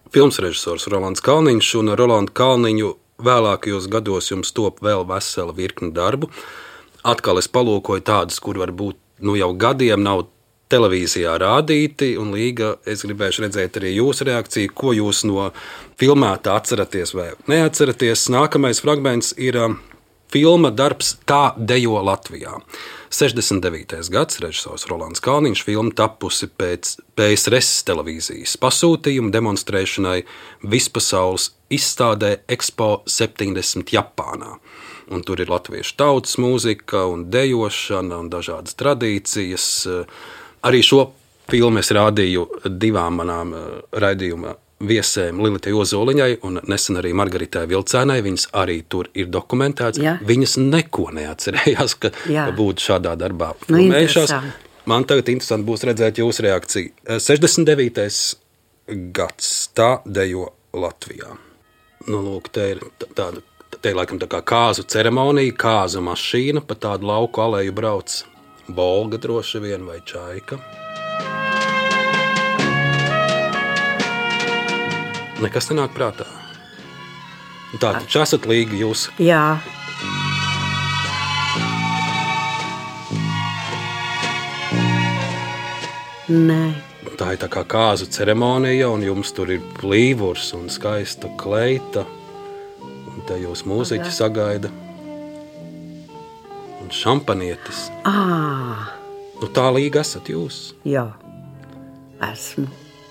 Filmas režisors Rolands Kalniņš, un ar Rolandu Kalniņu vēlākajos gados jums top vēl vesela virkni darbu. Atkal es palūkoju tādus, kur varbūt nu jau gadiem nav televīzijā rādīti, un Līga, es gribēšu redzēt arī jūsu reakciju, ko jūs no filmētā atceraties vai neatceraties. Nākamais fragments ir filma darbs Tā dejo Latvijā. sešdesmit devītais gads, režisors Rolands Kalniņš, filma tapusi pēc P S R S televīzijas pasūtījuma demonstrēšanai vispasaules izstādē Expo septiņdesmit Japānā. Un tur ir latviešu tautas mūzika un dejošana un dažādas tradīcijas. Arī šo filmu es rādīju divām manām raidījuma viesēm Lilitai Ozoliņai un nesen arī Margaritai Vilcēnai. Viņas arī tur ir dokumentēts. Jā. Viņas neko neatcerējās, ka, ka būtu šādā darbā filmējušās. Nu, man tagad interesanti būs redzēt jūsu reakciju. sešdesmit devītais gads, Tā dejo Latvijā. Nu, lūk, te ir tāda, te ir laikam tā kā kāzu ceremonija, kāzu mašīna, pa tādu lauku aleju brauc Bolga droši vien vai Čaika. Nekas nenāk prātā. Tā, taču esat Līga jūs. Jā. Nē. Tā ir tā kā kāzu ceremonija, un jums tur ir plīvurs un skaista kleita, un te jūs mūziķi sagaida. Un šampanietis. Ā. Nu tā Līga esat jūs. Jā, esmu.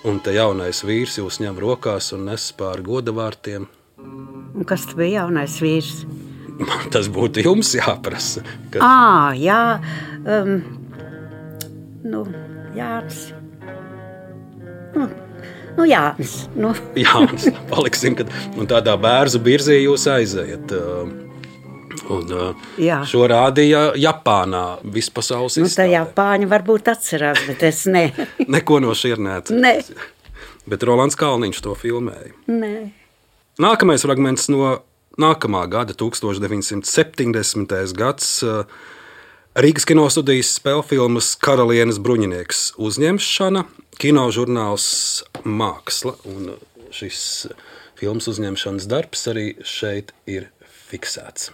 Un te jaunais vīrs jūs ņem rokās un nes pāri godavārtiem. Un kas tu bija jaunais vīrs? Tas būtu jums jāprasa. Kad... Ā, jā, um, nu, Jānis. Nu, nu Jānis. Nu. Jānis, paliksim, kad un tādā bērzu birzī jūs aizējat. Un jā. Šo rādīja Japānā vispasaules nu, izstādē. Tā Japāņi varbūt atcerās, bet es ne. Neko no šiem neatceros. Ne. Bet Rolands Kalniņš to filmēja. Nē. Nākamais fragments no nākamā gada, tūkstoš deviņsimt septiņdesmitais gads, Rīgas kinostudijas spēlfilmas Karalienes bruņinieks uzņemšana, kinožurnāls Māksla. Un šis filmas uzņemšanas darbs arī šeit ir fiksēts.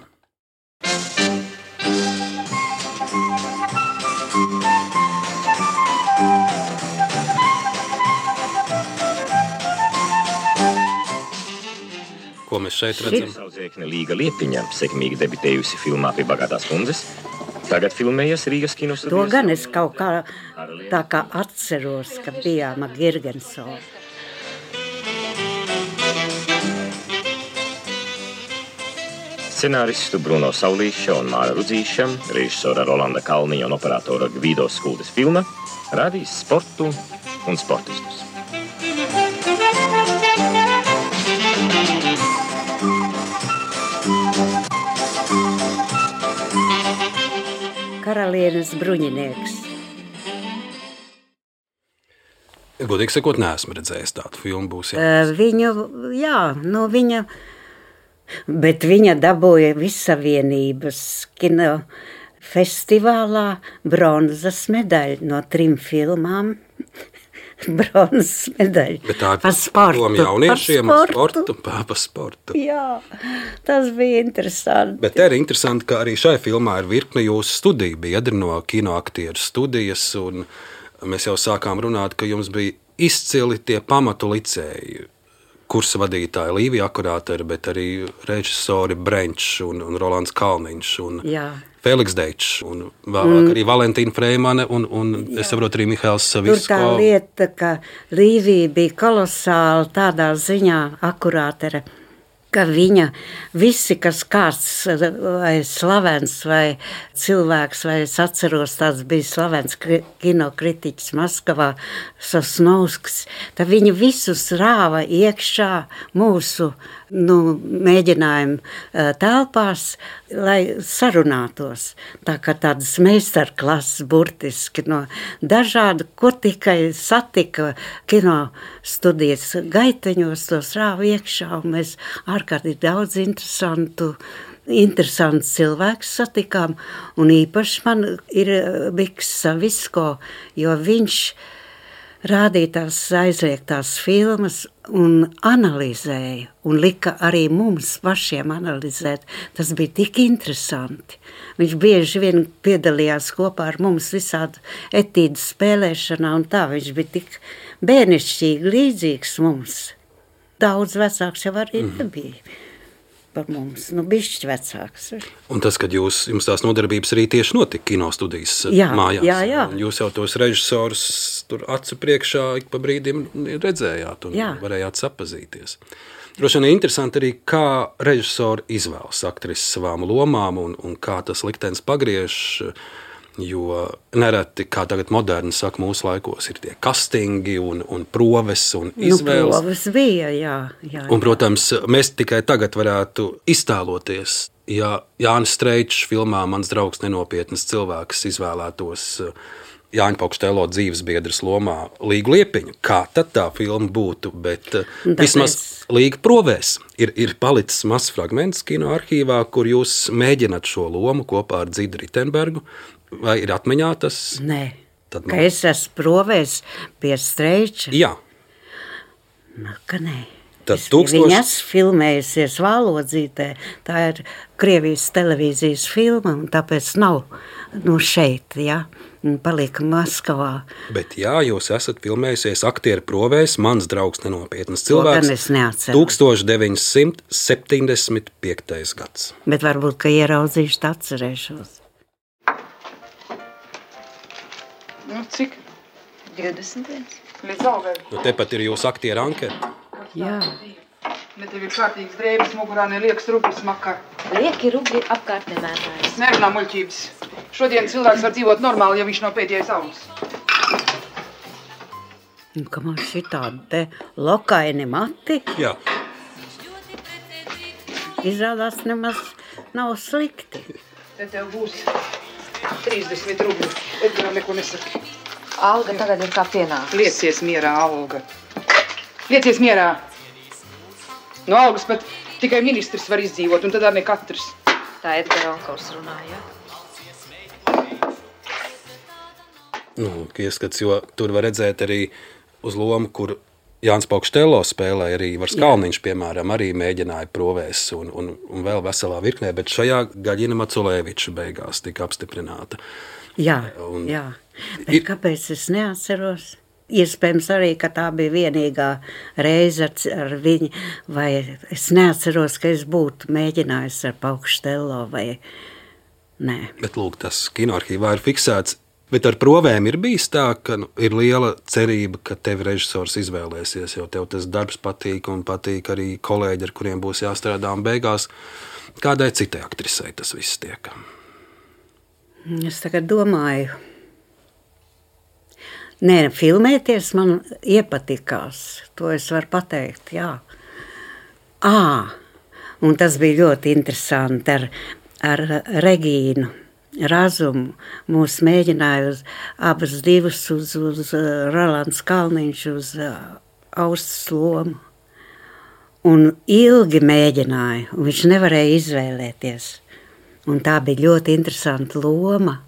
Ko mēs šeit redzam? Saudzēkne Līga Liepiņa, sekmīgi debitējusi filmā Pie bagātās kundzes, tagad filmējas Rīgas kinostudijas. To gan es kaut kā tā kā atceros, ka bijām ar Girgensonu. Scenāristu Bruno Saulīša un Māra Rudzīša, režisora Rolanda Kalniņa un operatora Gvido Skuldes filma rādīs sportu un sportistus. Karalienes bruņinieks. Godīgi sakot, neesmu redzējis tādu filmu. Būs uh, viņu, jā, nu viņa, bet viņa dabūja Vissavienības kino festivālā bronzas medaļu no trim filmām. Bronzas medaļu. Bet tā ir par sportu. Par jauniešiem, par sportu. Par sportu. Jā, tas bija interesanti. Bet te ir interesanti, ka arī šai filmā ir virkne jūsu studiju biedri no kinoaktieru studijas, un mēs jau sākām runāt, ka jums bija izcili tie pamatu licēji, kursa vadītāji Līvija Akurāteri, bet arī režisori Brenčs un, un Rolands Kalniņš un Jā. Feliks Deičs un vēlāk mm. arī Valentīna Freimane un, un es saprotu arī Mihails Savisko. Tur tā lieta, ka Līvija bija kolosāla tādā ziņā Akurātere, ka viņa visi, kas kāds vai slavens vai cilvēks, vai es atceros, tāds bija slavens kinokritiķis Maskavā, Sosnovskis, tad viņi visus rāva iekšā mūsu nu, mēģinājumu telpās, lai sarunātos. Tā kā tādas meistarklases burtiski no dažādu, ko tikai satika kino studijas gaiteņos, tos rāva iekšā, un mēs ārkārtīgi daudz interesantu, interesants cilvēks satikām, un īpaši man ir Miks Savisko, jo viņš rādīja tās aizliegtās filmas un analizēja, un lika arī mums pašiem analizēt. Tas bija tik interesanti. Viņš bieži vien piedalījās kopā ar mums visādu etīdu spēlēšanā, un tā viņš bija tik bērnišķīgi līdzīgs mums. Daudz vecāks jau arī mm. nebija par mums, nu bišķi vecāks. Un tas, kad jūs, jums tās nodarbības arī tieši notika kinostudijas jā, mājās. Jā, jā. Jūs jau tos režisorus tur acu priekšā ik pa brīdim redzējāt un jā. Varējāt sapazīties. Droši vien interesanti arī, kā režisori izvēlas aktrises savām lomām un, un kā tas liktenis pagriež, jo nereti, kā tagad moderni saka, mūsu laikos ir tie castingi un, un proves un izvēles. Nu, proves bija, jā, jā, jā. Un, protams, mēs tikai tagad varētu iztēloties, ja Jānis Streičs filmā Mans draugs nenopietnas cilvēks izvēlētos Jāņa Pokštelo dzīvesbiedras lomā Līgu Liepiņu. Kā tad tā filma būtu, bet Tāpēc... vismaz Līga provēs ir, ir palicis mazs fragments kino arhīvā, kur jūs mēģināt šo lomu kopā ar Dzidu Ritenbergu. Vai ir atmiņā tas? Nē, Tad ka es esmu provēs pie Streiča. Jā. Nu, ka nē. Tad es tūkstoši... Viņa esmu filmējusies Vālodzītē, tā ir Krievijas televīzijas filma, un tāpēc nav nu, šeit, jā, un palika Maskavā. Bet jā, jūs esat filmējusies aktieru provēs Mans draugs nenopietnas cilvēks. To gan es neatceros. tūkstoš deviņsimt septiņdesmit piektais gads. Bet varbūt, ka ieraudzīšu, tā atcerēšos. Nu, cik? divdesmit viens. Līdz augai. Nu, tepat ir jūsu aktieru anketa. Jā. Ne tev ir kārtīgs drēbes mugurā, ne liekas rublis makar. Lieki rubļi apkārt nemētājas. Nerunā muļķības. Šodien cilvēks var dzīvot normāli, ja viņš nav pēdējais augs. Un ka man šitādi te lokaini mati. Jā. Izrādās nemaz nav slikti. Te tev būs trīsdesmit rubļi. Edgaram neko nesaki. Alga tagad ir kā pienāks. Liecies mierā, Alga. Liecies mierā. No algas pat tikai ministrs var izdzīvot, un tad arī ne katrs. Tā Edgara onkurs runāja. Nu, ieskats, jo tur var redzēt arī uz lomu, kur Jānis Paukštello spēlēja arī Ivars Kalniņš, piemēram, arī mēģināja provēs un, un, un vēl veselā virknē, bet šajā Gaļina Maculēviča beigās tika apstiprināta. Jā, un, jā. Bet ir... kāpēc es neatceros? Iespējams arī, ka tā bija vienīgā reize ar, ar viņu, vai es neatceros, ka es būtu mēģinājis ar Paukštello vai nē. Bet lūk, tas kinoarkīvā ir fiksēts. Bet ar provēm ir bijis tā, ka nu, ir liela cerība, ka tevi režisors izvēlēsies, jo tev tas darbs patīk un patīk arī kolēģi, ar kuriem būs jāstrādā un beigās. Kādai citai aktrisei tas viss tiek? Es tagad domāju. Nē, filmēties man iepatikās. To es varu pateikt, jā. Ā, un tas bija ļoti interesanti ar, ar Regīnu Razumu. Mūs mēģināja uz abas divas, uz, uz Rolands Kalniņš, uz Austas lomu. Un ilgi mēģināja, un viņš nevarēja izvēlēties. Un tā bija ļoti interesanta loma.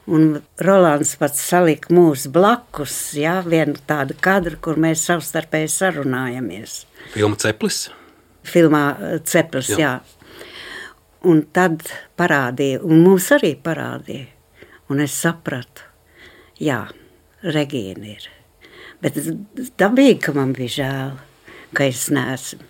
Un Rolands pats salika mūs blakus, jā, vienu tādu kadru, kur mēs savstarpēji sarunājamies. Filma Ceplis? Filmā Ceplis, jā. jā. Un tad parādīja, un mums arī parādīja. Un es sapratu, jā, Regīna ir. Bet dabīgi, ka man bija žēl, ka es neesmu.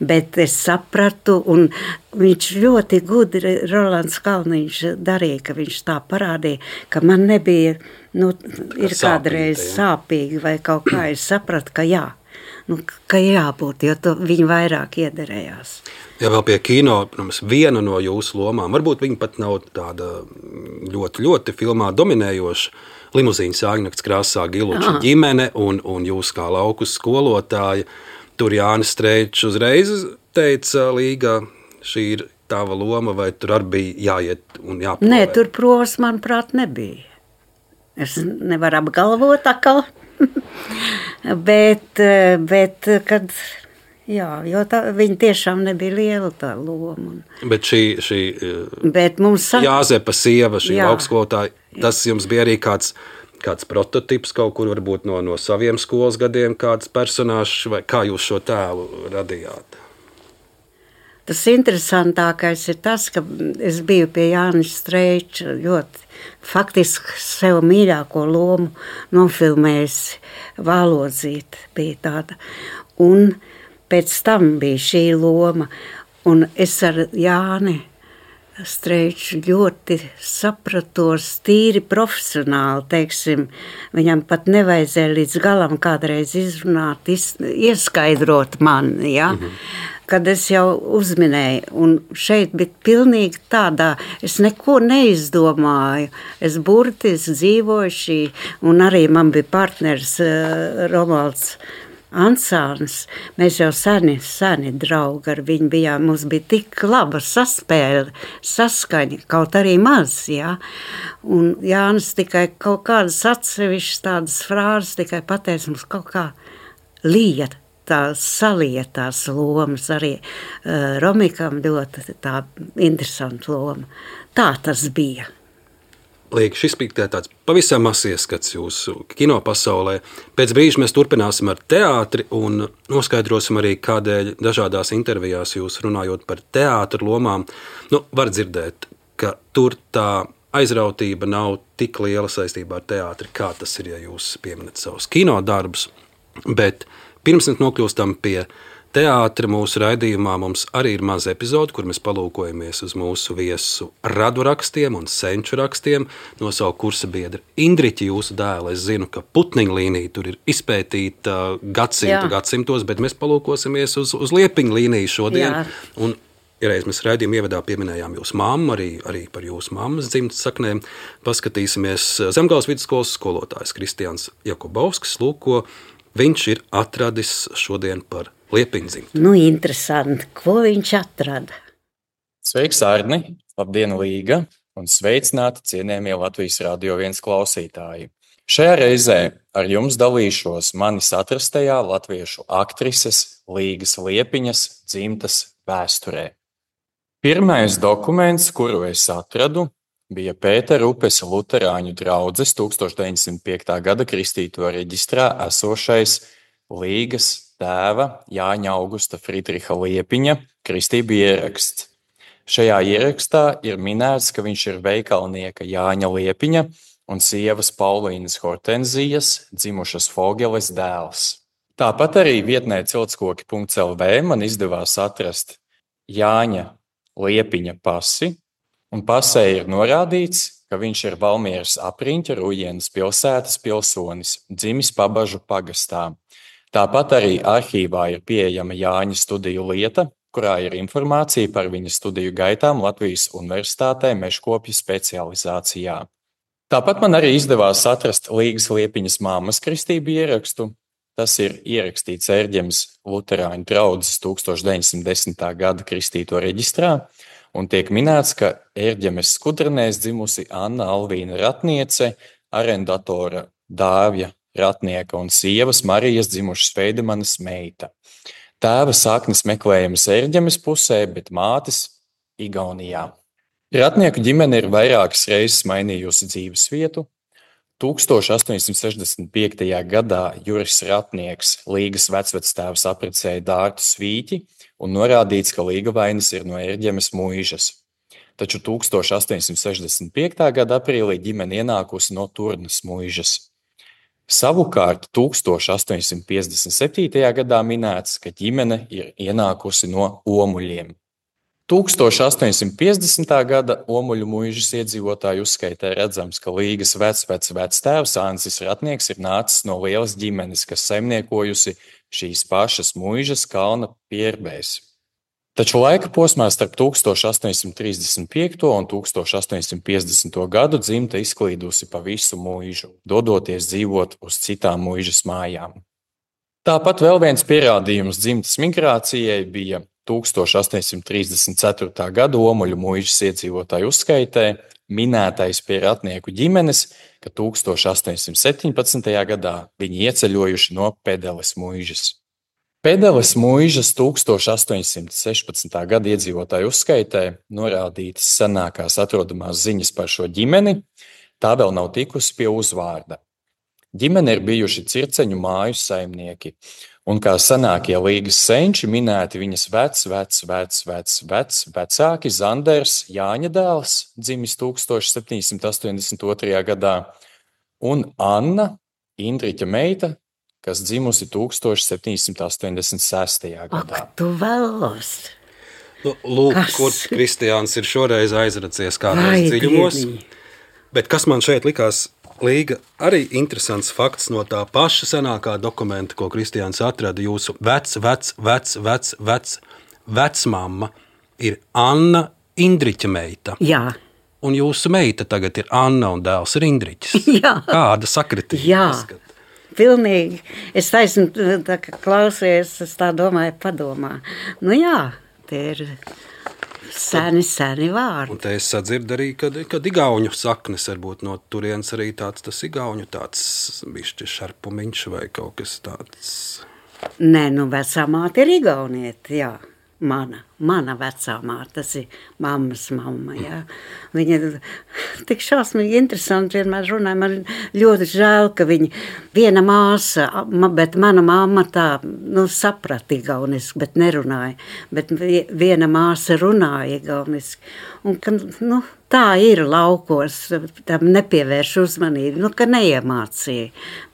Bet es sapratu, un viņš ļoti gudri, Rolands Kalniņš darīja, ka viņš tā parādīja, ka man nebija, nu, ir kādreiz sāpīgi vai kaut kā, es sapratu, ka jā. Nu, ka jābūt, jo to viņi vairāk iederējās. Ja vēl pie kino, protams, viena no jūsu lomām, varbūt viņa pat nav tāda ļoti, ļoti filmā dominējoša, Limuzīnas Jāgnakts krāsā Giluča ģimene un, un jūs kā lauku skolotāja. Tur Jānis Streičs uzreiz teica, Līga, šī ir tava loma, vai tur arī bija jāiet un jāprovē? Nē, tur provas, manuprāt, nebija. Es nevaru apgalvot atkal. bet, bet, kad, jā, jo tā, viņa tiešām nebija liela tā loma. Bet šī, šī bet mums Jāzepa sieva, šī augstskolotāja, tas jums bija arī kāds, kāds prototips kaut kur varbūt no, no saviem skolas gadiem, kāds personāžs, vai kā jūs šo tēlu radījāt? Tas interesantākais ir tas, ka es biju pie Jānis Streiča ļoti faktiski sev mīļāko lomu nofilmējusi. Vālodzīte bija tāda. Un pēc tam bija šī loma. Un es ar Jāni Streiču ļoti sapratos tīri profesionāli, teiksim. Viņam pat nevajadzēja līdz galam kādreiz izrunāt, iz, ieskaidrot man, ja? Mhm. Kad es jau uzminēju, un šeit bija pilnīgi tādā, es neko neizdomāju, es burtiski dzīvoju šī, un arī man bija partneris uh, Romualds Ansāns, mēs jau seni, seni draugi ar viņu bijām, mums bija tik laba saspēle, saskaņa, kaut arī maz, jā, un Jānis tikai kaut kādas atsevišķas tādas frāzes tikai pateica mums kaut kā lieta. Tā salietās lomas arī uh, Romikam ļoti tā interesanta loma. Tā tas bija. Liek, šis bija tāds pavisam mazs ieskats jūsu kino pasaulē. Pēc brīža mēs turpināsim ar teātri un noskaidrosim arī, kādēļ dažādās intervijās jūs runājot par teātru lomām. Nu, var dzirdēt, ka tur tā aizrautība nav tik liela saistībā ar teātri, kā tas ir, ja jūs pieminat savus kino darbus, bet pirms mēs nokļūstam pie teātra mūsu raidījumā, mums arī ir maza epizode, kur mēs palūkojamies uz mūsu viesu radu rakstiem un senču rakstiem no savu kursa biedra Indriķa, jūsu dēla. Es zinu, ka Putniņa līnija tur ir izpētīta gadsimtu gadsimtos, bet mēs palūkosimies uz, uz Liepiņa līniju šodien. Jā. Un ja reiz mēs raidījuma ievadā pieminējām jūsu mammu, arī, arī par jūsu mammas dzimtas saknēm, paskatīsimies Zemgales vidusskolas skolotājs Kristians Jakubovskis, lūko, viņš ir atradis šodien par Liepiņa dzimtu. Nu, interesanti, ko viņš atrada. Sveiks, Arni! Labdien, Līga! Un sveicināti cienējamie Latvijas Radio viens klausītāji! Šajā reizē ar jums dalīšos manis atrastajā latviešu aktrises Līgas Liepiņas dzimtas vēsturē. Pirmais dokuments, kuru es atradu, bija Pētera upes luterāņu draudzes tūkstoš deviņsimt piektā gada kristīto reģistrā esošais Līgas tēva Jāņa Augusta Friedriha Liepiņa kristību ieraksts. Šajā ierakstā ir minēts, ka viņš ir veikalnieka Jāņa Liepiņa un sievas Paulīnas Hortenzijas dzimušas Fogeles dēls. Tāpat arī vietnē ciltskoki punkts el vē man izdevās atrast Jāņa Liepiņa pasi, un pasē ir norādīts, ka viņš ir Valmieras apriņķa Rujienas pilsētas pilsonis, dzimis Pabažu pagastā. Tāpat arī arhīvā ir pieejama Jāņa studiju lieta, kurā ir informācija par viņa studiju gaitām Latvijas Universitātē mežkopju specializācijā. Tāpat man arī izdevās atrast Līgas Liepiņas mammas kristību ierakstu. Tas ir ierakstīts Ērģemes luterāņu draudzes tūkstoš deviņsimt desmitā gada kristīto reģistrā, un tiek minēts, ka Ērģemes skudrenēs dzimusi Anna Alvīna Ratniece, arendatora Dāvja Ratnieka un sievas Marijas dzimušas Feidemanas meita. Tēva saknes meklējamas Ērģemes pusē, bet mātes Igaunijā. Ratnieku ģimene ir vairākas reizes mainījusi dzīves vietu. tūkstoš astoņsimt sešdesmit piektajā gadā Juris Ratnieks Līgas vecvectēvs apprecēja Dārtu Svīķi un norādīts, ka Līgavainis ir no Ērģemes muižas. Taču tūkstoš astoņsimt sešdesmit piektā gada aprīlī ģimene ienākusi no Turnas muižas. Savukārt tūkstoš astoņsimt piecdesmit septītajā gadā minēts, ka ģimene ir ienākusi no Omuļiem. tūkstoš astoņsimt piecdesmitā gada Omuļu muižas iedzīvotāju uzskaitē redzams, ka Līgas vecvec vectēvs Ancis Ratnieks ir nācis no lielas ģimenes, kas saimniekojusi šīs pašas muižas kalna pierbēs. Taču laika posmā starp tūkstoš astoņsimt trīsdesmit piekto un tūkstoš astoņsimt piecdesmito gadu dzimta izklīdusi pa visu muižu, dodoties dzīvot uz citām muižas mājām. Tāpat vēl viens pierādījums dzimtas migrācijai bija tūkstoš astoņsimt trīsdesmit ceturtā gada Omuļu muižas iedzīvotāju uzskaitē minētais pie Ratnieku ģimenes, ka tūkstoš astoņsimt septiņpadsmitajā gadā viņi ieceļojuši no Pedeles muižas. Pedeles muižas tūkstoš astoņsimt sešpadsmitā gada iedzīvotāju uzskaitē norādītas senākās atrodamās ziņas par šo ģimeni, tā vēl nav tikusi pie uzvārda. Ģimene ir bijuši circeņu māju saimnieki, un kā senākie Līgas senči minēti viņas vec, vec, vec, vec, vec, vecāki Zanders Jāņa dēls, dzimis tūkstoš septiņsimt astoņdesmit otrajā gadā, un Anna, Indriķa meita, kas dzimusi tūkstoš septiņsimt astoņdesmit sestajā gadā. Ak, tu vēlos! Nu, lūk, kas? Kur Kristiāns ir šoreiz aizracies kādos dziļumos. Bet kas man šeit likās Līga, arī interesants fakts no tā paša senākā dokumenta, ko Kristiāns atrada, jūsu vec, vec, vec, vec, vec, vecmamma ir Anna Indriķa meita. Jā. Un jūsu meita tagad ir Anna un dēls ir Indriķis. Jā. Kāda sakritība? Jā, pilnīgi. Es taisnu, tā kā klausies, es tā domāju, padomā. Nu jā, tie ir seni, seni vārdi. Un te es sadzirdu arī, kad, kad igauņu saknes varbūt no turienes arī tāds tas igauņu tāds bišķi šarpumiņš vai kaut kas tāds. Nē, nu vecā māte ir igaunieti, jā. Mana, mana vecā māte, tas ir mammas mamma, jā. Viņa tik šausmīgi interesanti vienmēr runāja, man ļoti žēl, ka viņa viena māsa, bet mana mamma tā, nu, saprata igauniski, bet nerunāja, bet viena māsa runāja igauniski, un, ka, nu, tā ir laukos, tam nepievērš uzmanību, nu, ka neiemācīja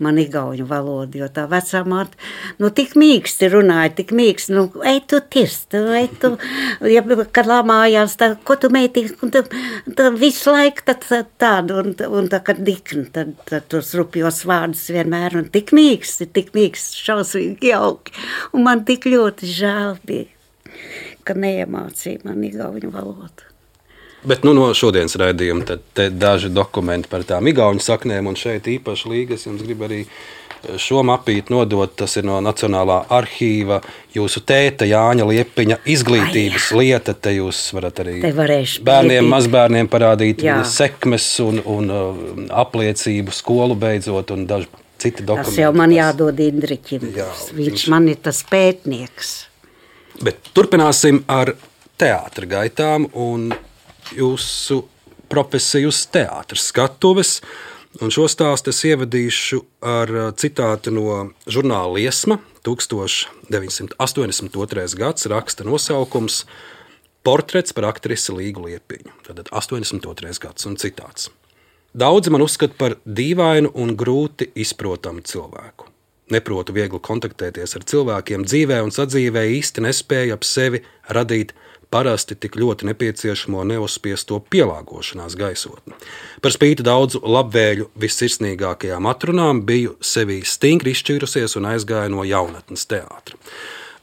man igauņu valodu, jo tā vecā māte, nu, tik mīksti runāja, tik mīksti, nu, ej tu tirst, ej tu, ja, kad lamājās, tā, ko tu meitīgi, un tā, tā visu laiku tad, tā, tādu, un, un tā, kad dikni, tad, tad tos rupjos vārdus vienmēr, un tik mīksti, tik mīksti, šausmīgi jauki, un man tik ļoti žēl bija, ka neiemācīja man igauņu valodu. Bet nu, no šodienas raidījuma tad te daži dokumenti par tām igauņu saknēm, un šeit īpaši Līgas jums grib arī šo mapīti nodot. Tas ir no Nacionālā arhīva jūsu tēta Jāņa Liepiņa izglītības Ai, lieta. Te jūs varat arī bērniem, mazbērniem parādīt jā. sekmes un, un apliecību skolu beidzot un daži citi dokumenti. Tas jau man jādod Indriķim. Jā, viņš, viņš man ir tas pētnieks. Bet turpināsim ar teātra gaitām un jūsu profesiju uz teātra skatuves. Un šo stāstu es ievadīšu ar citātu no žurnāla Liesma. tukstovs deviņsimt astoņdesmit otrais gads, raksta nosaukums Portrets par aktrisi Līgu Liepiņu. Tātad astoņdesmit otrais gads un citāts. Daudzi man uzskata par dīvainu un grūti izprotamu cilvēku. Neprotu viegli kontaktēties ar cilvēkiem dzīvē un sadzīvē, īsti nespēju ap sevi radīt parasti tik ļoti nepieciešamo neuzspiesto pielāgošanās gaisotni. Par spīti daudzu labvēļu vissirsnīgākajām atrunām biju sevī stingri izšķīrusies un aizgāju no jaunatnes teātra.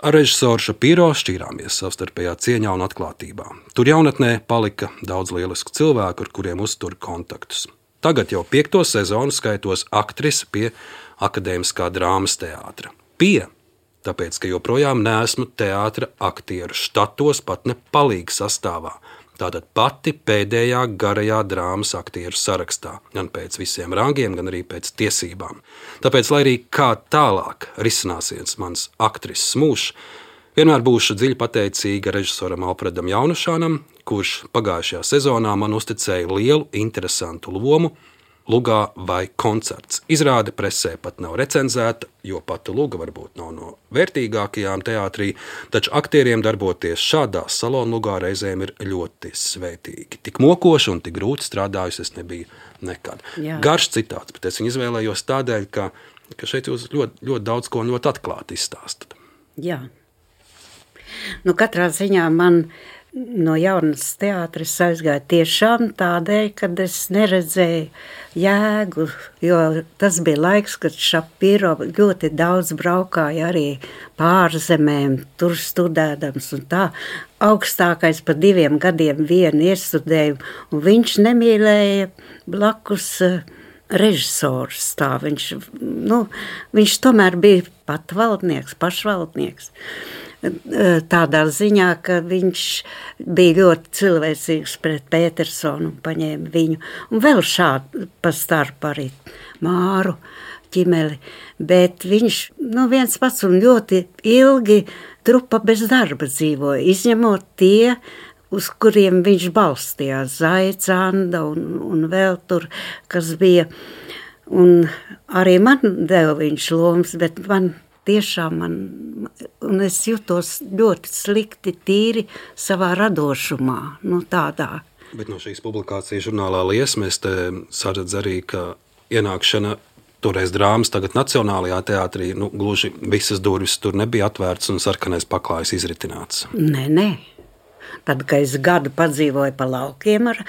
Ar režisoru Šapiro šķīrāmies savstarpējā cieņā un atklātībā. Tur jaunatnē palika daudz lielisku cilvēku, ar kuriem uztur kontaktus. Tagad jau piekto sezonu skaitos aktrise pie Akadēmiskā drāmas teātra. Pie Tāpēc, ka joprojām neesmu teātra aktieru štatos, pat ne palīga sastāvā. Tātad pati pēdējā garajā drāmas aktieru sarakstā, gan pēc visiem rangiem, gan arī pēc tiesībām. Tāpēc, lai arī kā tālāk risināsies mans aktrises mūžs, vienmēr būšu dziļi pateicīga režisoram Alfredam Jaunušānam, kurš pagājušajā sezonā man uzticēja lielu, interesantu lomu Lugā vai koncerts. Izrāde presē pat nav recenzēta, jo pati Luga varbūt nav no vērtīgākajām teātrī, taču aktieriem darboties šādā salonu Lugā reizēm ir ļoti svētīgi. Tik mokoši un tik grūti strādājusi es nebiju nekad. Jā. Garš citāts, bet es viņu izvēlējos tādēļ, ka, ka šeit jūs ļoti, ļoti daudz ko ļoti atklāti izstāstat. Jā. Nu, katrā ziņā man no jaunas teātris aizgāja tiešām tādēļ, kad es neredzēju jēgu, jo tas bija laiks, kad Šapiro ļoti daudz braukāja arī pārzemēm, tur studēdams un tā. Augstākais pa diviem gadiem vienu iestudēju, un viņš nemīlēja blakus režisors tā. Viņš, nu, viņš tomēr bija patvaldnieks, pašvaldnieks. Tādā ziņā, ka viņš bija ļoti cilvēcīgs pret Petersonu un paņēma viņu. Un vēl šādi pa starp arī Māru Ķimeli. Bet viņš, nu, viens pats un ļoti ilgi trupa bez darba dzīvoja, izņemot tie, uz kuriem viņš balstījās, Zaica, Anda un, un vēl tur, kas bija. Un arī man deva viņš lomas, bet man tiešām man, un es jutos ļoti slikti tīri savā radošumā, nu tādā. Bet no šīs publikācijas žurnālā Liesma es te saredzu arī, ka ienākšana toreiz drāmas, tagad Nacionālajā teātrī, nu, gluži visas durvis tur nebija atvērts un sarkanais paklājs izritināts. Nē, nē. Tad, kad es gadu padzīvoju pa laukiem ar,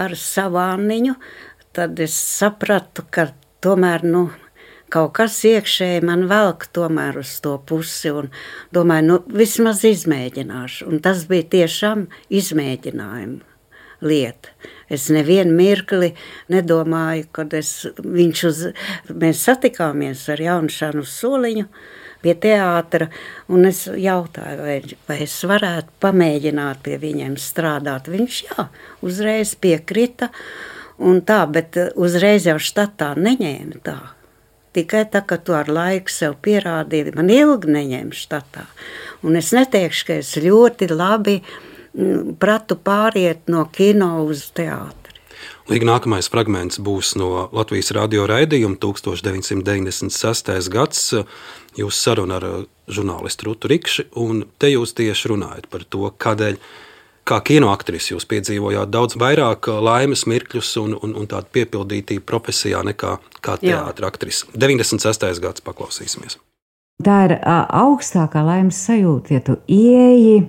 ar savu Anniņu, tad es sapratu, ka tomēr, nu, kaut kas iekšēji man velk tomēr uz to pusi un domāju, nu, vismaz izmēģināšu. Un tas bija tiešām izmēģinājuma lieta. Es nevienu mirkli nedomāju, kad es, viņš uz, mēs satikāmies ar Jaunušānu uz soliņu pie teātra, un es jautāju, vai, vai es varētu pamēģināt pie viņiem strādāt. Viņš, jā, uzreiz piekrita, un tā, bet uzreiz jau štatā neņēma tā. Tikai tā, ka tu ar laiku sev pierādīji, man ilgi neņēma štatā. Un es neteikšu, ka es ļoti labi pratu pāriet no kino uz teātri. Līga nākamais fragments būs no Latvijas radio raidījuma tukstovs deviņsimt deviņdesmit sestais gads. Jūs saruna ar žurnālistu Rutu Rikši, un te jūs tieši runājat par to, kādēļ kā kinoaktris jūs piedzīvojāt daudz vairāk laimes mirkļus un, un, un tādu piepildītību profesijā nekā kā teātra aktris. deviņdesmit sestais gads, paklausīsimies. Tā ir augstākā laimes sajūta, ja tu ieeji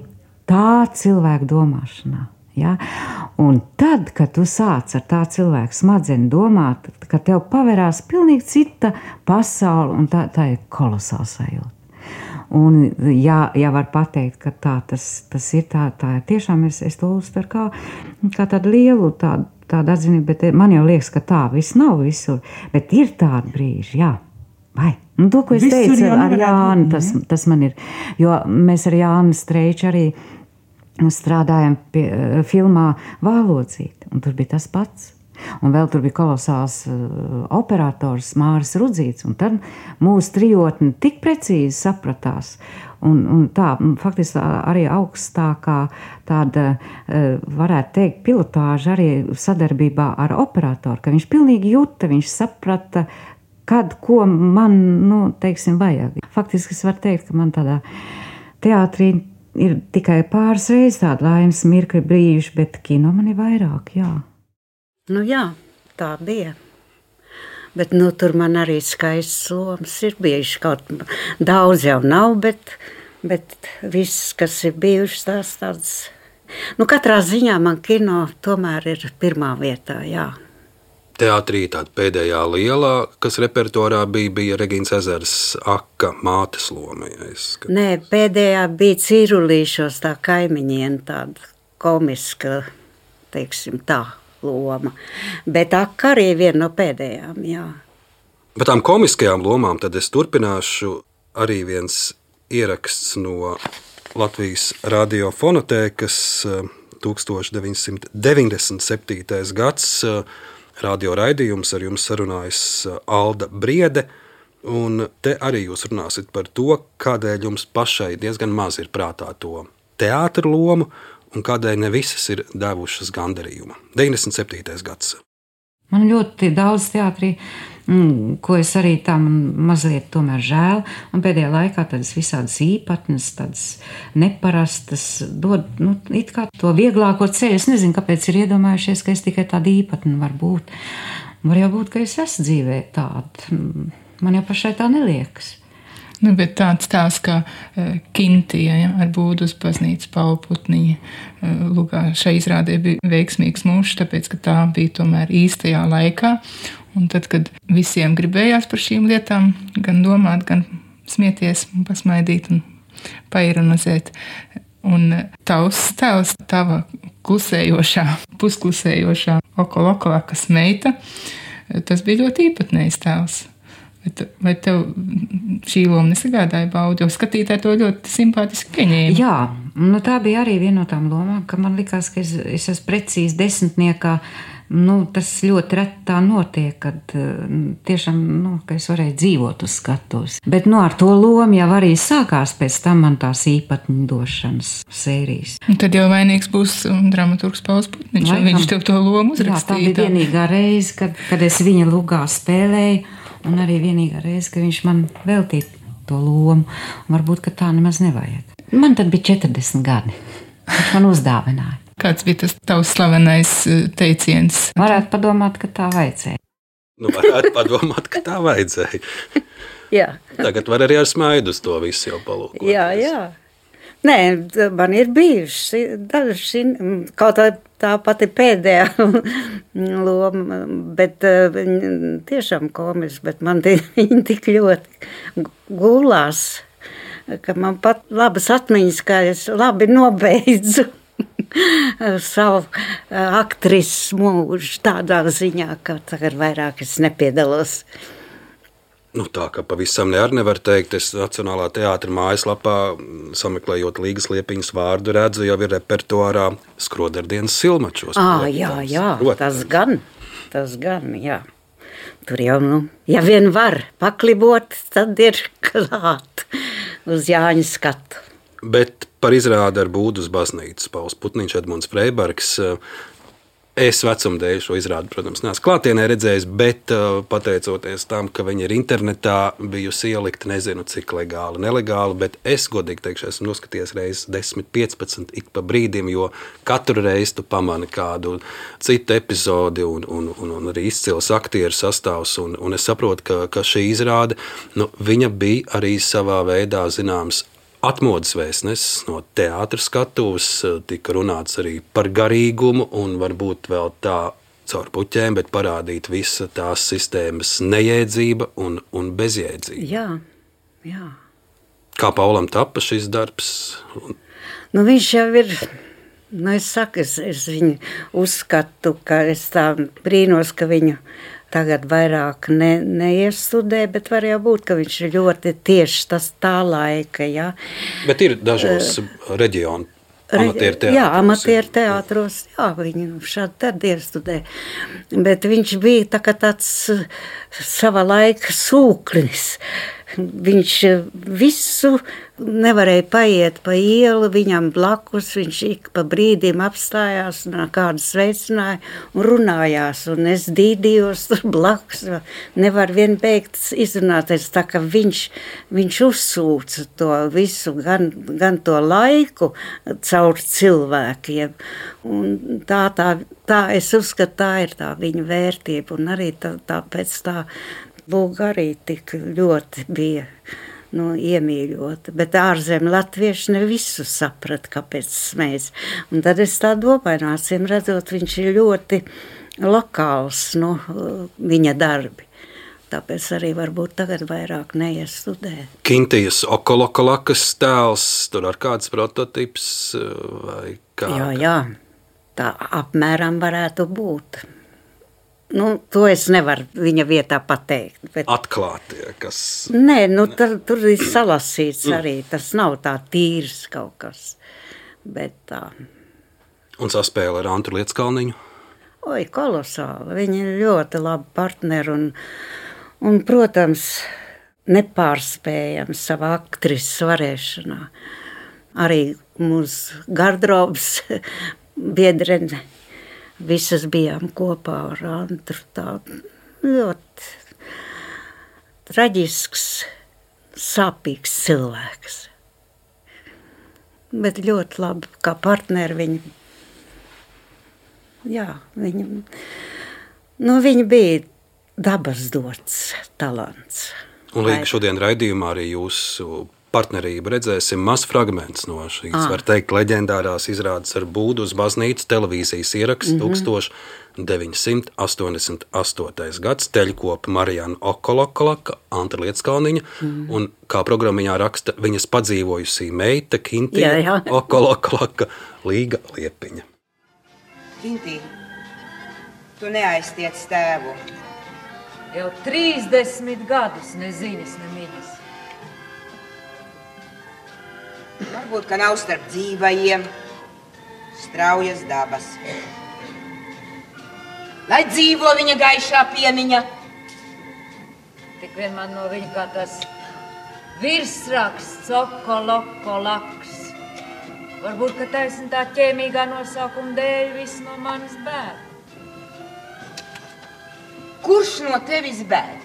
tā cilvēka domāšanā. Ja? Un tad, kad tu sāc ar tā cilvēku smadzeni domāt, ka tev paverās pilnīgi cita pasaule, un tā, tā ir kolosāla sajūta. Un, jā, jā, var pateikt, ka tā tas, tas ir tā, tā tiešām es, es to uztveru kā, kā tādu lielu tādu, tādu atzinību, bet man jau liekas, ka tā viss nav visur, bet ir tādi brīži, jā. Vai? Nu, to, ko es visur teicu ar, ar Jāni, tas, tas man ir, jo mēs ar Jāni Streiču arī strādājam pie filmā Vālodzīte, un tur bija tas pats. Un vēl tur bija kolosāls uh, operators Māris Rudzīts, un tad mūsu trijotni tik precīzi sapratās. Un, un tā, faktiski arī augstākā tāda, uh, varētu teikt, pilotāža arī sadarbībā ar operatoru, ka viņš pilnīgi juta, viņš saprata, kad, ko man, nu, teiksim, vajag. Faktiski es varu teikt, ka man tādā teātrī ir tikai pāris reizes tāda laimes mirkļi brīži, bet kino man ir vairāk, jā. Nu jā, tā bija. Bet nu, tur man arī skaists lomas ir bijuši. Kaut daudz jau nav, bet, bet viss, kas ir bijušas tās tādas. Nu, katrā ziņā man kino tomēr ir pirmā vietā, jā. Teātrī tāda pēdējā lielā, kas repertuārā bija, bija Regīnas Ezers Aka mātes loma. Ja es... Nē, pēdējā bija Cirulīšos tā kaimiņiena, tāda komiska, teiksim tā. Loma. Bet Aka arī viena no pēdējām, jā. Par tām komiskajām lomām tad es turpināšu arī viens ieraksts no Latvijas radiofonotēkas tūkstoš deviņsimt deviņdesmit septītais gads radio raidījums, ar jums sarunājas Alda Briede, un te arī jūs runāsit par to, kādēļ jums pašai diezgan maz ir prātā to teātra lomu, un kādēļ ne visas ir devušas gandarījumu. deviņdesmit septītais gads. Man ļoti daudz teātrī, mm, ko es arī tā man mazliet tomēr žēl, un pēdējā laikā tādas visādas īpatnes, tādas neparastas, dod, nu, it kā to vieglāko ceļu. Es nezinu, kāpēc ir iedomājušies, ka es tikai tāda īpatne var būt. Var jau būt, ka es esmu dzīvē tāda. Man jau pašai tā neliekas. Nu, bet tāds tās kā uh, Kintija, ja, ar Būdu uz baznīcu Paula Putniņa uh, lugā šai izrādē bija veiksmīgs mūžs, tāpēc, ka tā bija tomēr īstajā laikā. Un tad, kad visiem gribējās par šīm lietām gan domāt, gan smieties un pasmaidīt un paironizēt. Un tavs tēls, tava klusējošā, pusklusējošā okoloklakas meita, tas bija ļoti īpatnējs tēls. Vai tev šī loma nesagādāja baudu, jo skatītāji to ļoti simpātiski pieņēma? Jā, nu tā bija arī viena no tām lomām, ka man likās, ka es, es esmu precīzi desmitniekā. Nu, tas ļoti reti tā notiek, kad tiešām, nu, ka es varēju dzīvot uz skatuves. Bet nu, ar to lomu jau arī sākās pēc tam man tās īpatņu došanas sērijas. Un tad jau vainīgs būs dramaturgs Pauls Putniņš, jo viņš tev to lomu uzrakstīja. Jā, tā bija vienīgā reize, kad, kad es viņa lugā spēlēju. Un arī vienīgā reize, ka viņš man veltīja to lomu. Varbūt, ka tā nemaz nevajag. Man tad bija četrdesmit gadi. Viņš man uzdāvināja. Kāds bija tas tavs slavenais teiciens? Varētu padomāt, ka tā vajadzēja. Nu, varētu padomāt, ka tā vajadzēja. Jā. Tagad var arī ar smaidu uz to visu jau palūkot. Jā, jā. Nē, man ir bijuši daži, kaut tā, tā pati pēdējā loma, bet tiešām komiski, bet man viņi tik ļoti gulās, ka man pat labas atmiņas, kā es labi nobeidzu savu aktrises mūžu tādā ziņā, ka tagad vairāk es nepiedalos. Nu, tā kā pavisam ne arī nevar teikt, es Nacionālā teātra mājaslapā, sameklējot Līgas Liepiņas vārdu, redzu, jau ir repertuārā Skroderdienas Silmačos. Ā, jā, jā, tas gan, tas gan, jā. Tur jau, nu, ja vien var paklibot, tad ir klāt uz Jāņa skatu. Bet par izrādi ar Būdu uz baznīcu Pauls Putniņš, Edmunds Freibergs. Es vecumdēļ šo izrādi, protams, neesmu klātienē redzējis, bet pateicoties tam, ka viņi ir internetā bijusi ielikta, nezinu, cik legāli, nelegāli, bet es godīgi teikšu, esmu noskatījies reizes desmit, piecpadsmit ik pa brīdim, jo katru reizi tu pamani kādu citu epizodi un, un, un, un arī izcils aktieru sastāvs, un, un es saprotu, ka, ka šī izrāde, nu, viņa bija arī savā veidā zināms atmodas vēstnesis no teātra skatuves, tika runāts arī par garīgumu un varbūt vēl tā caur puķēm, bet parādīt visa tās sistēmas nejēdzība un, un bezjēdzība. Jā, jā. Kā Paulam tapa šis darbs? Nu, viņš jau ir, nu, es saku, es, es viņu uzskatu, ka es tā brīnos, ka viņu tagad vairāk ne, neiestudē, bet var jau būt, ka viņš ir ļoti tieši tas tā laika, jā. Bet ir dažos uh, reģionu amatieru teātros. Jā, amatieru teātros, jā, viņi šādi tad iestudē. Bet viņš bija tā kā tāds sava laika sūklis. Viņš visu nevarēja paiet pa ielu, viņam blakus, viņš ik pa brīdim apstājās un kādu sveicināja un runājās, un es dīdījos tur blakus, nevar vien beigt izrunāties, tā ka viņš, viņš uzsūca to visu, gan, gan to laiku caur cilvēkiem, un tā, tā, tā, es uzskatu, tā ir tā viņa vērtība, un arī tā, tāpēc tā Lūga arī tik ļoti bija nu, iemīļota, bet ārzem latvieši ne visu saprat, kāpēc smējas. Un tad es tā domāju, nācim redzot, viņš ir ļoti lokāls, nu, viņa darbi. Tāpēc arī varbūt tagad vairāk neiestudē. Kintijas Okolokolakas tēls, tur ar kāds prototips vai kā? Jā, jā, tā apmēram varētu būt. Nu, to es nevaru viņa vietā pateikt. Bet... Atklātie, kas... Nē, nu, tur, tur ir salasīts arī. Tas nav tā tīrs kaut kas. Bet tā. Un saspēle ar Antru Lietskalniņu? Oi, kolosāli. Viņi ir ļoti labi partneri un, un protams, nepārspējami savā aktrises varēšanā. Arī mūsu gardrobas biedrene. Visas bijām kopā ar Antru, tā ļoti traģisks, sāpīgs cilvēks. Bet ļoti labi, kā partneri viņi, jā, viņi, nu viņi bija dabas dots talants. Un līdz šodien raidījumā arī jūsu partnerību redzēsim maz fragments no šīs, ah. var teikt, leģendārās izrādes ar būdu uz baznīcu televīzijas ieraksts mm -hmm. tūkstoš deviņsimt astoņdesmit astotais gads, teļkopa Marijana Okolokolaka, Antra Lietskalniņa, mm. un kā programmiņā raksta viņas padzīvojusī meita Kintija Okolokolaka, Līga Liepiņa. Kintī, tu neaiztiec tēvu. Jau trīsdesmit gadus nezinis, nemiņas. Varbūt, ka nav starp dzīvajiem straujas dabas. Lai dzīvo viņa gaišā piemiņa. Tik vien man no viņa kā tas virsraksts Okolokolaks. Varbūt, ka taisn tā ķēmīgā nosaukuma dēļ viss no manis bēg. Kurš no tevis bēg?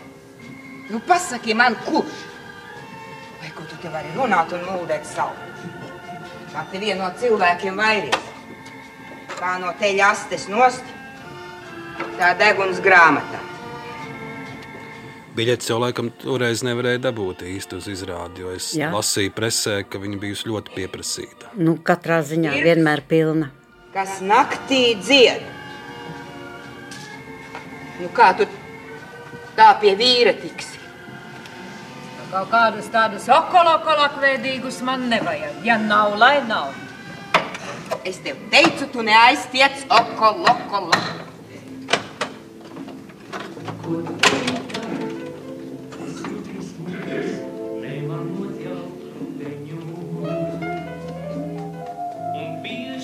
Nu, pasaki man, kurš? Vai ko tu te vari runāt un mūdēt savu? Kā te vien no cilvēkiem vairies. Kā no teļa astes nost, tā deguns grāmatā. Biļetes jau laikam toreiz nevarēja dabūt īsti uz izrādi, jo es Jā. lasīju presē, ka viņa bijusi ļoti pieprasīta. Nu, katrā ziņā Ir, vienmēr pilna. Kas naktī dzied. Nu, kā tu tā pie vīra tiksi? Kaut kādus tādus okolokolakveidīgus man nevajag. Ja nav, lai nav. Es tev teicu, tu neaiztiec okolokolak.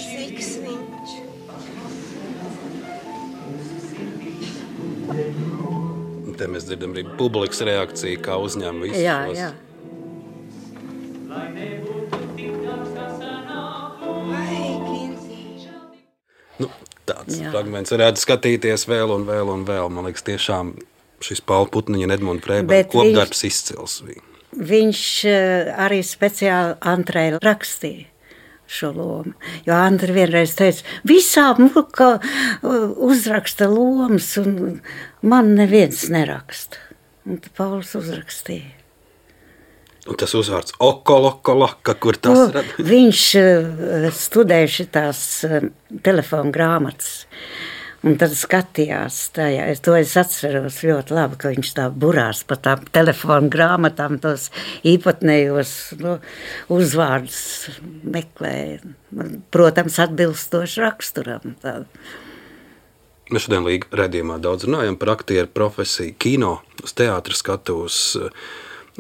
Siks viņš. Te mēs dzirdam arī publikas reakciju, kā uzņem visus. Jā, jā. Nu, tāds jā. fragments varētu skatīties vēl un vēl un vēl. Man liekas, tiešām šis Paula Putniņa un Edmunda Frēberga kopdarbs viņš, izcils bija. Viņš arī speciāli Antrai rakstīja šo lomu. Jo Andra vienreiz teica, visām ka uzraksta lomas un man neviens neraksta. Un tad Pauls uzrakstīja. Un tas uzvārds Okolokolaka, kur tas o, rada? Viņš studēja šitās telefonu grāmatas. Un tad skatījās tajā. Es to es atceros ļoti labi, ka viņš tā burās pa tām telefonu grāmatām tos īpatnējos nu, uzvārdus meklēja. Protams, atbilstoši raksturam. Tā. Mēs šodien Līga raidījumā daudz runājam par aktieru profesiju, kino, uz teātra skatuves,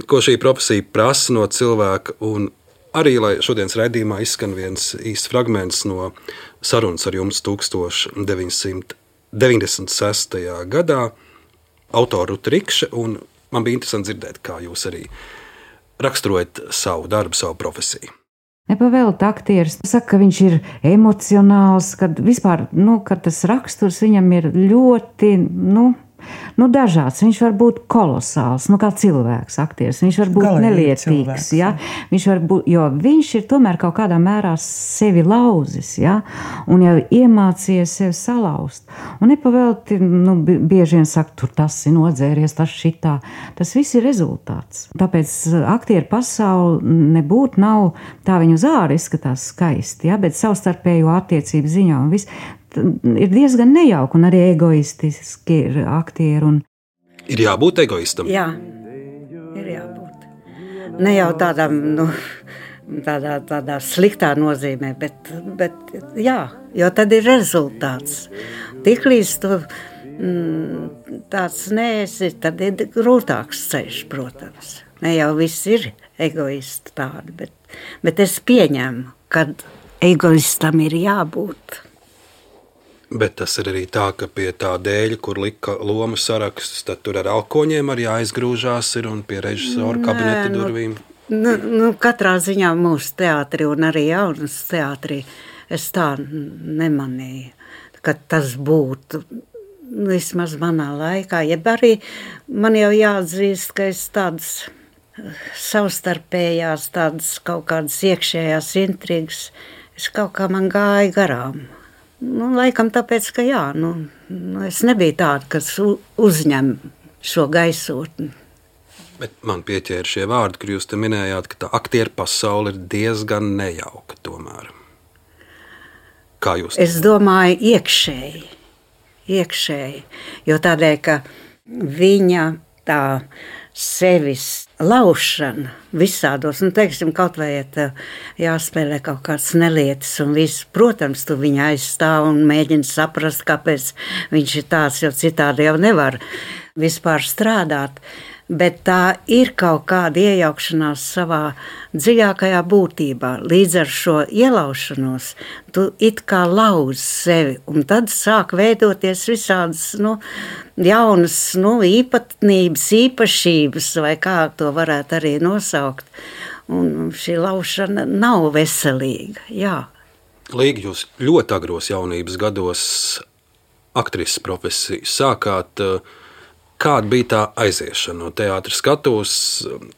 ko šī profesija prasa no cilvēka, un arī, lai šodienas raidījumā izskan viens īsts fragments no sarunas ar jums tuksstoš deviņsimt deviņdesmit sestajā gadā, autoru Ruta Rikša, un man bija interesanti dzirdēt, kā jūs arī raksturojat savu darbu, savu profesiju. Nepavēlta aktieris saka, ka viņš ir emocionāls, kad vispār, nu, kad tas raksturs viņam ir ļoti, nu, nu, dažāds. Viņš var būt kolosāls, nu, kā cilvēks, aktieris. Viņš var būt Galīgi nelietīgs, cilvēks, ja? Viņš var būt, jo viņš ir tomēr kaut kādā mērā sevi lauzis, ja? Un jau iemācījies sevi salauzt. Un nepavēlti, nu, bieži vien saka, tur tas ir nodzēries, tas šitā. Tas viss ir rezultāts. Tāpēc aktieru pasauli nebūt nav, tā viņu uz ārā izskatās skaisti, ja? Bet savstarpējo attiecību ziņā un viss. Ir diezgan nejauki un arī egoistiski ir aktieri. Un... Ir jābūt egoistam? Jā, ir jābūt. Ne jau tādam, nu, tādā, tādā sliktā nozīmē, bet, bet jā, jo tad ir rezultāts. Tiklīdz tu mm, tāds neesi, tad ir grūtāks ceļš, protams. Ne jau viss ir egoisti tādi, bet, bet es pieņemu, kad egoistam ir jābūt. Bet tas ir arī tā, ka pie tā dēļa, kur lika lomu sarakstus, tad tur ar alkoņiem arī aizgrūžās ir un pie režisora kabineta Nē, durvīm. Nu, nu, katrā ziņā mūsu teātrī un arī jaunas teātrī es tā nemanīju, ka tas būtu vismaz manā laikā. Jeb arī man jau jāatzīst, ka es tādas savstarpējās, tādas kaut kādas iekšējās intrigas, es kaut kā man gāja garām. Nu, laikam tāpēc, ka jā, nu, nu, es nebiju tāda, kas uzņem šo gaisotni. Bet man pieķēra šie vārdi, kur jūs te minējāt, ka tā aktieru pasaule ir diezgan nejauka tomēr. Kā jūs? Es domāju iekšēji, iekšēji, jo tādēļ, ka viņa tā sevis laušana visādos, nu, teiksim, kaut vai ja jāspēlē kaut kāds nelietis un viss, protams, tu viņu aizstāv un mēģini saprast, kāpēc viņš ir tāds, jo citādi jau nevar vispār strādāt. Bet tā ir kaut kāda iejaukšanās savā dziļākajā būtībā. Līdz ar šo ielaušanos tu it kā lauzi sevi, un tad sāk veidoties visādas nu, jaunas nu, īpatnības, īpašības, vai kā to varētu arī nosaukt. Un šī laušana nav veselīga, jā. Līga, jūs ļoti agros jaunības gados aktrises profesiju sākāt. Kāda bija tā aiziešana no teātra skatuves,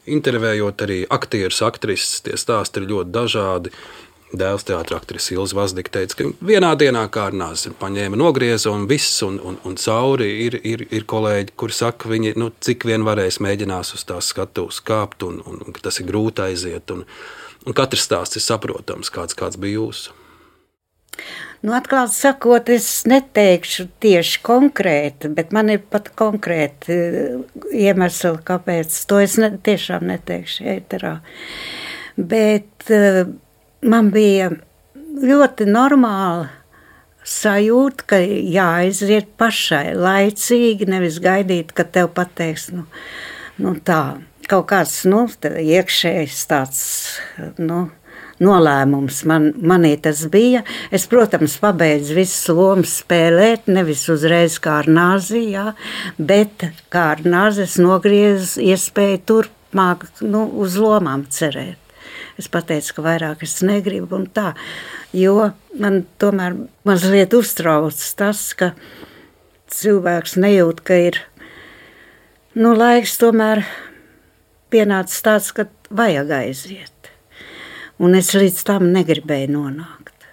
intervējot arī aktierus, aktrises, tie stāsti ir ļoti dažādi. Dēls teātra aktrise Ilze Vazdika teica, ka vienā dienā kā ar nāzi paņēma nogrieza un viss, un, un, un cauri ir, ir, ir kolēģi, kuri saka, viņi, nu, cik vien varēs mēģinās uz tās skatuves kāpt, un, un, un ka tas ir grūti aiziet, un, un katrs stāsts ir saprotams, kāds, kāds bija jūsu. Nu, atklāt sakot, es neteikšu tieši konkrēti, bet man ir pat konkrēti iemesli, kāpēc. To es ne, tiešām neteikšu ēterā. Bet uh, man bija ļoti normāla sajūta, ka jāaiziet pašai laicīgi, nevis gaidīt, ka tev pateiks, nu, nu tā, kaut kāds, nu, iekšējs tāds, nu, nolēmums man, manī tas bija. Es, protams, pabeidzu visas lomas spēlēt, nevis uzreiz kā ar nāzi, jā, bet kā ar nāzi es nogriezu iespēju turpmāk nu, uz lomām cerēt. Es pateicu, ka vairāk es negribu un tā, jo man tomēr mazliet uztrauc tas, ka cilvēks nejūt, ka ir nu, laiks tomēr pienācis tāds, ka vajag aiziet. Un es līdz tam negribēju nonākt.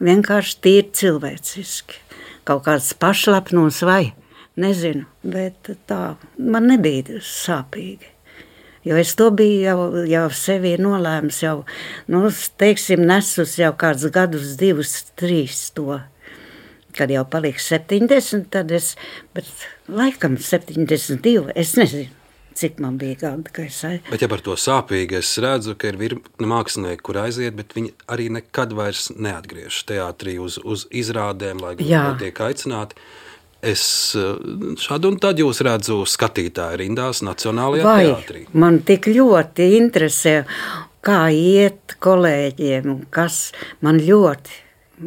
Vienkārši tīri cilvēciski. Kaut kāds pašlepnums vai, nezinu, bet tā, man nebija sāpīgi. Jo es to biju jau, jau sevi nolēmis, jau, nu, teiksim, nesus jau kāds gadus, divus, trīs to. kad jau paliks septiņdesmit, tad es, bet laikam septiņdesmit divi, es nezinu, cik man bija gadi, ka es aiz... Bet ja par to sāpīgi, es redzu, ka ir virkne mākslinieki, kur aiziet, bet viņi arī nekad vairs neatgriež teātrī uz, uz izrādēm, lai gan tiek aicināti. Es šādu un tad jūs redzu skatītāju rindās Nacionālajā Vai, teātrī. Man tik ļoti interesē, kā iet kolēģiem, un kas man ļoti,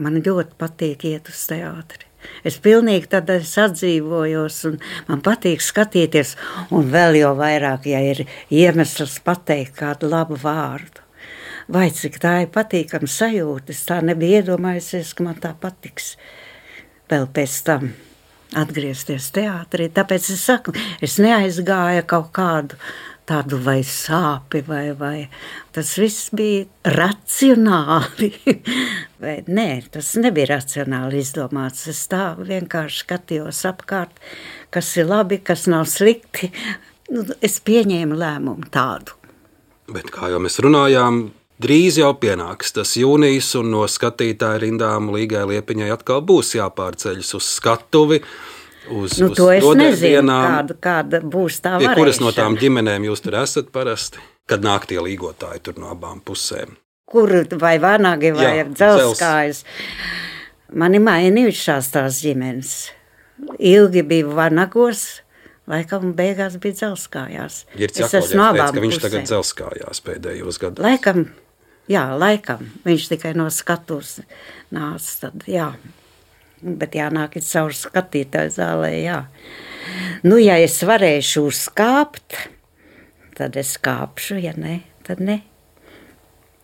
man ļoti patīk iet uz teātri. Es pilnīgi tad es atdzīvojos, un man patīk skatīties, un vēl jau vairāk, ja ir iemesls pateikt kādu labu vārdu. Vai cik tā ir patīkama sajūta, es tā nebija iedomājusies, ka man tā patiks vēl pēc tam atgriezties teātrī. Tāpēc es saku, es neaizgāju kaut kādu tādu vai sāpi, vai, vai. Tas viss bija racionāli. Vai, nē, tas nebija racionāli izdomāts. Es tā vienkārši skatījos apkārt, kas ir labi, kas nav slikti. Nu, es pieņēmu lēmumu tādu. Bet kā jau mēs runājām, drīz jau pienāks tas jūnijas, un no skatītāju rindām Līgai Liepiņai atkal būs jāpārceļas uz skatuvi, uz, nu, uz to es nezinu, dienām. kāda, kāda būs tā Pie varēšana. kuras no tām ģimenēm jūs tur esat parasti, kad nāk tie līgotāji tur no abām pusēm? Kur vai vanagi, vai Jā, dzelskājas. Mani mainījušās tās ģimenes. Ilgi bija vanagos, laikam beigās bija dzelskājās. Girts Jakovļevs teica, ka viņš tagad dzelskājās pēdējos gados. Laikam, jā, laikam. Viņš tikai no skatus nāca, tad jā. Bet jānāk ir caur skatītāju zālē, jā. Nu, ja es varēšu uzkāpt, tad es kāpšu, ja ne, tad ne.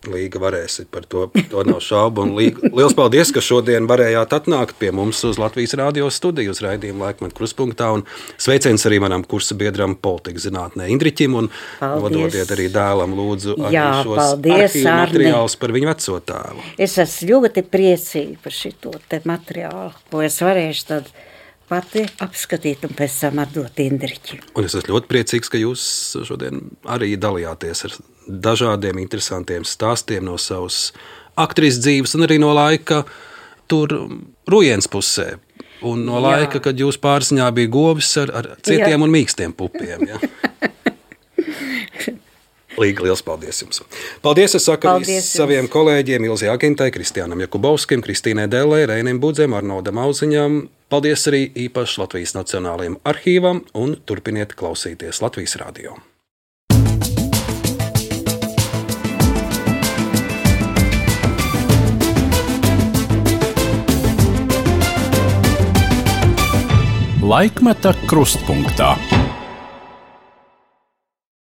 Līga varēsit, par to, to nav šaubu. Un Līga, liels paldies, ka šodien varējāt atnākt pie mums uz Latvijas radio studiju, uz raidījumu Laikmetu Kruspunktā. Un sveiciens arī manam kursa biedram politikas zinātnē Indriķim. Un nododiet arī dēlam lūdzu arī Jā, šos paldies, arhīvu materiālus par viņu veco tēvu. Es esmu ļoti priecīga par šito te materiālu, ko es varēšu tad pati apskatīt un pēc tam atdot Indriķim. Un es esmu ļoti priecīgs, ka jūs šodien arī dalījāties ar dažādiem interesantiem stāstiem no savas aktrises dzīves un arī no laika tur Rujens pusē. Un no laika, Jā. Kad jūs pārziņā bija govis ar, ar cietiem Jā. Un mīkstiem pupiem. Ja? Līga, liels paldies jums. Paldies, es saku paldies saviem jums. Kolēģiem Ilzei Agintai, Kristiānam Jakubovskim, Kristīnai Dellei, Reinim Budzem, Arnoldam Auziņam. Paldies arī īpaši Latvijas Nacionālajiem arhīvam un turpiniet klausīties Latvijas radio. Laikmeta krustpunktā.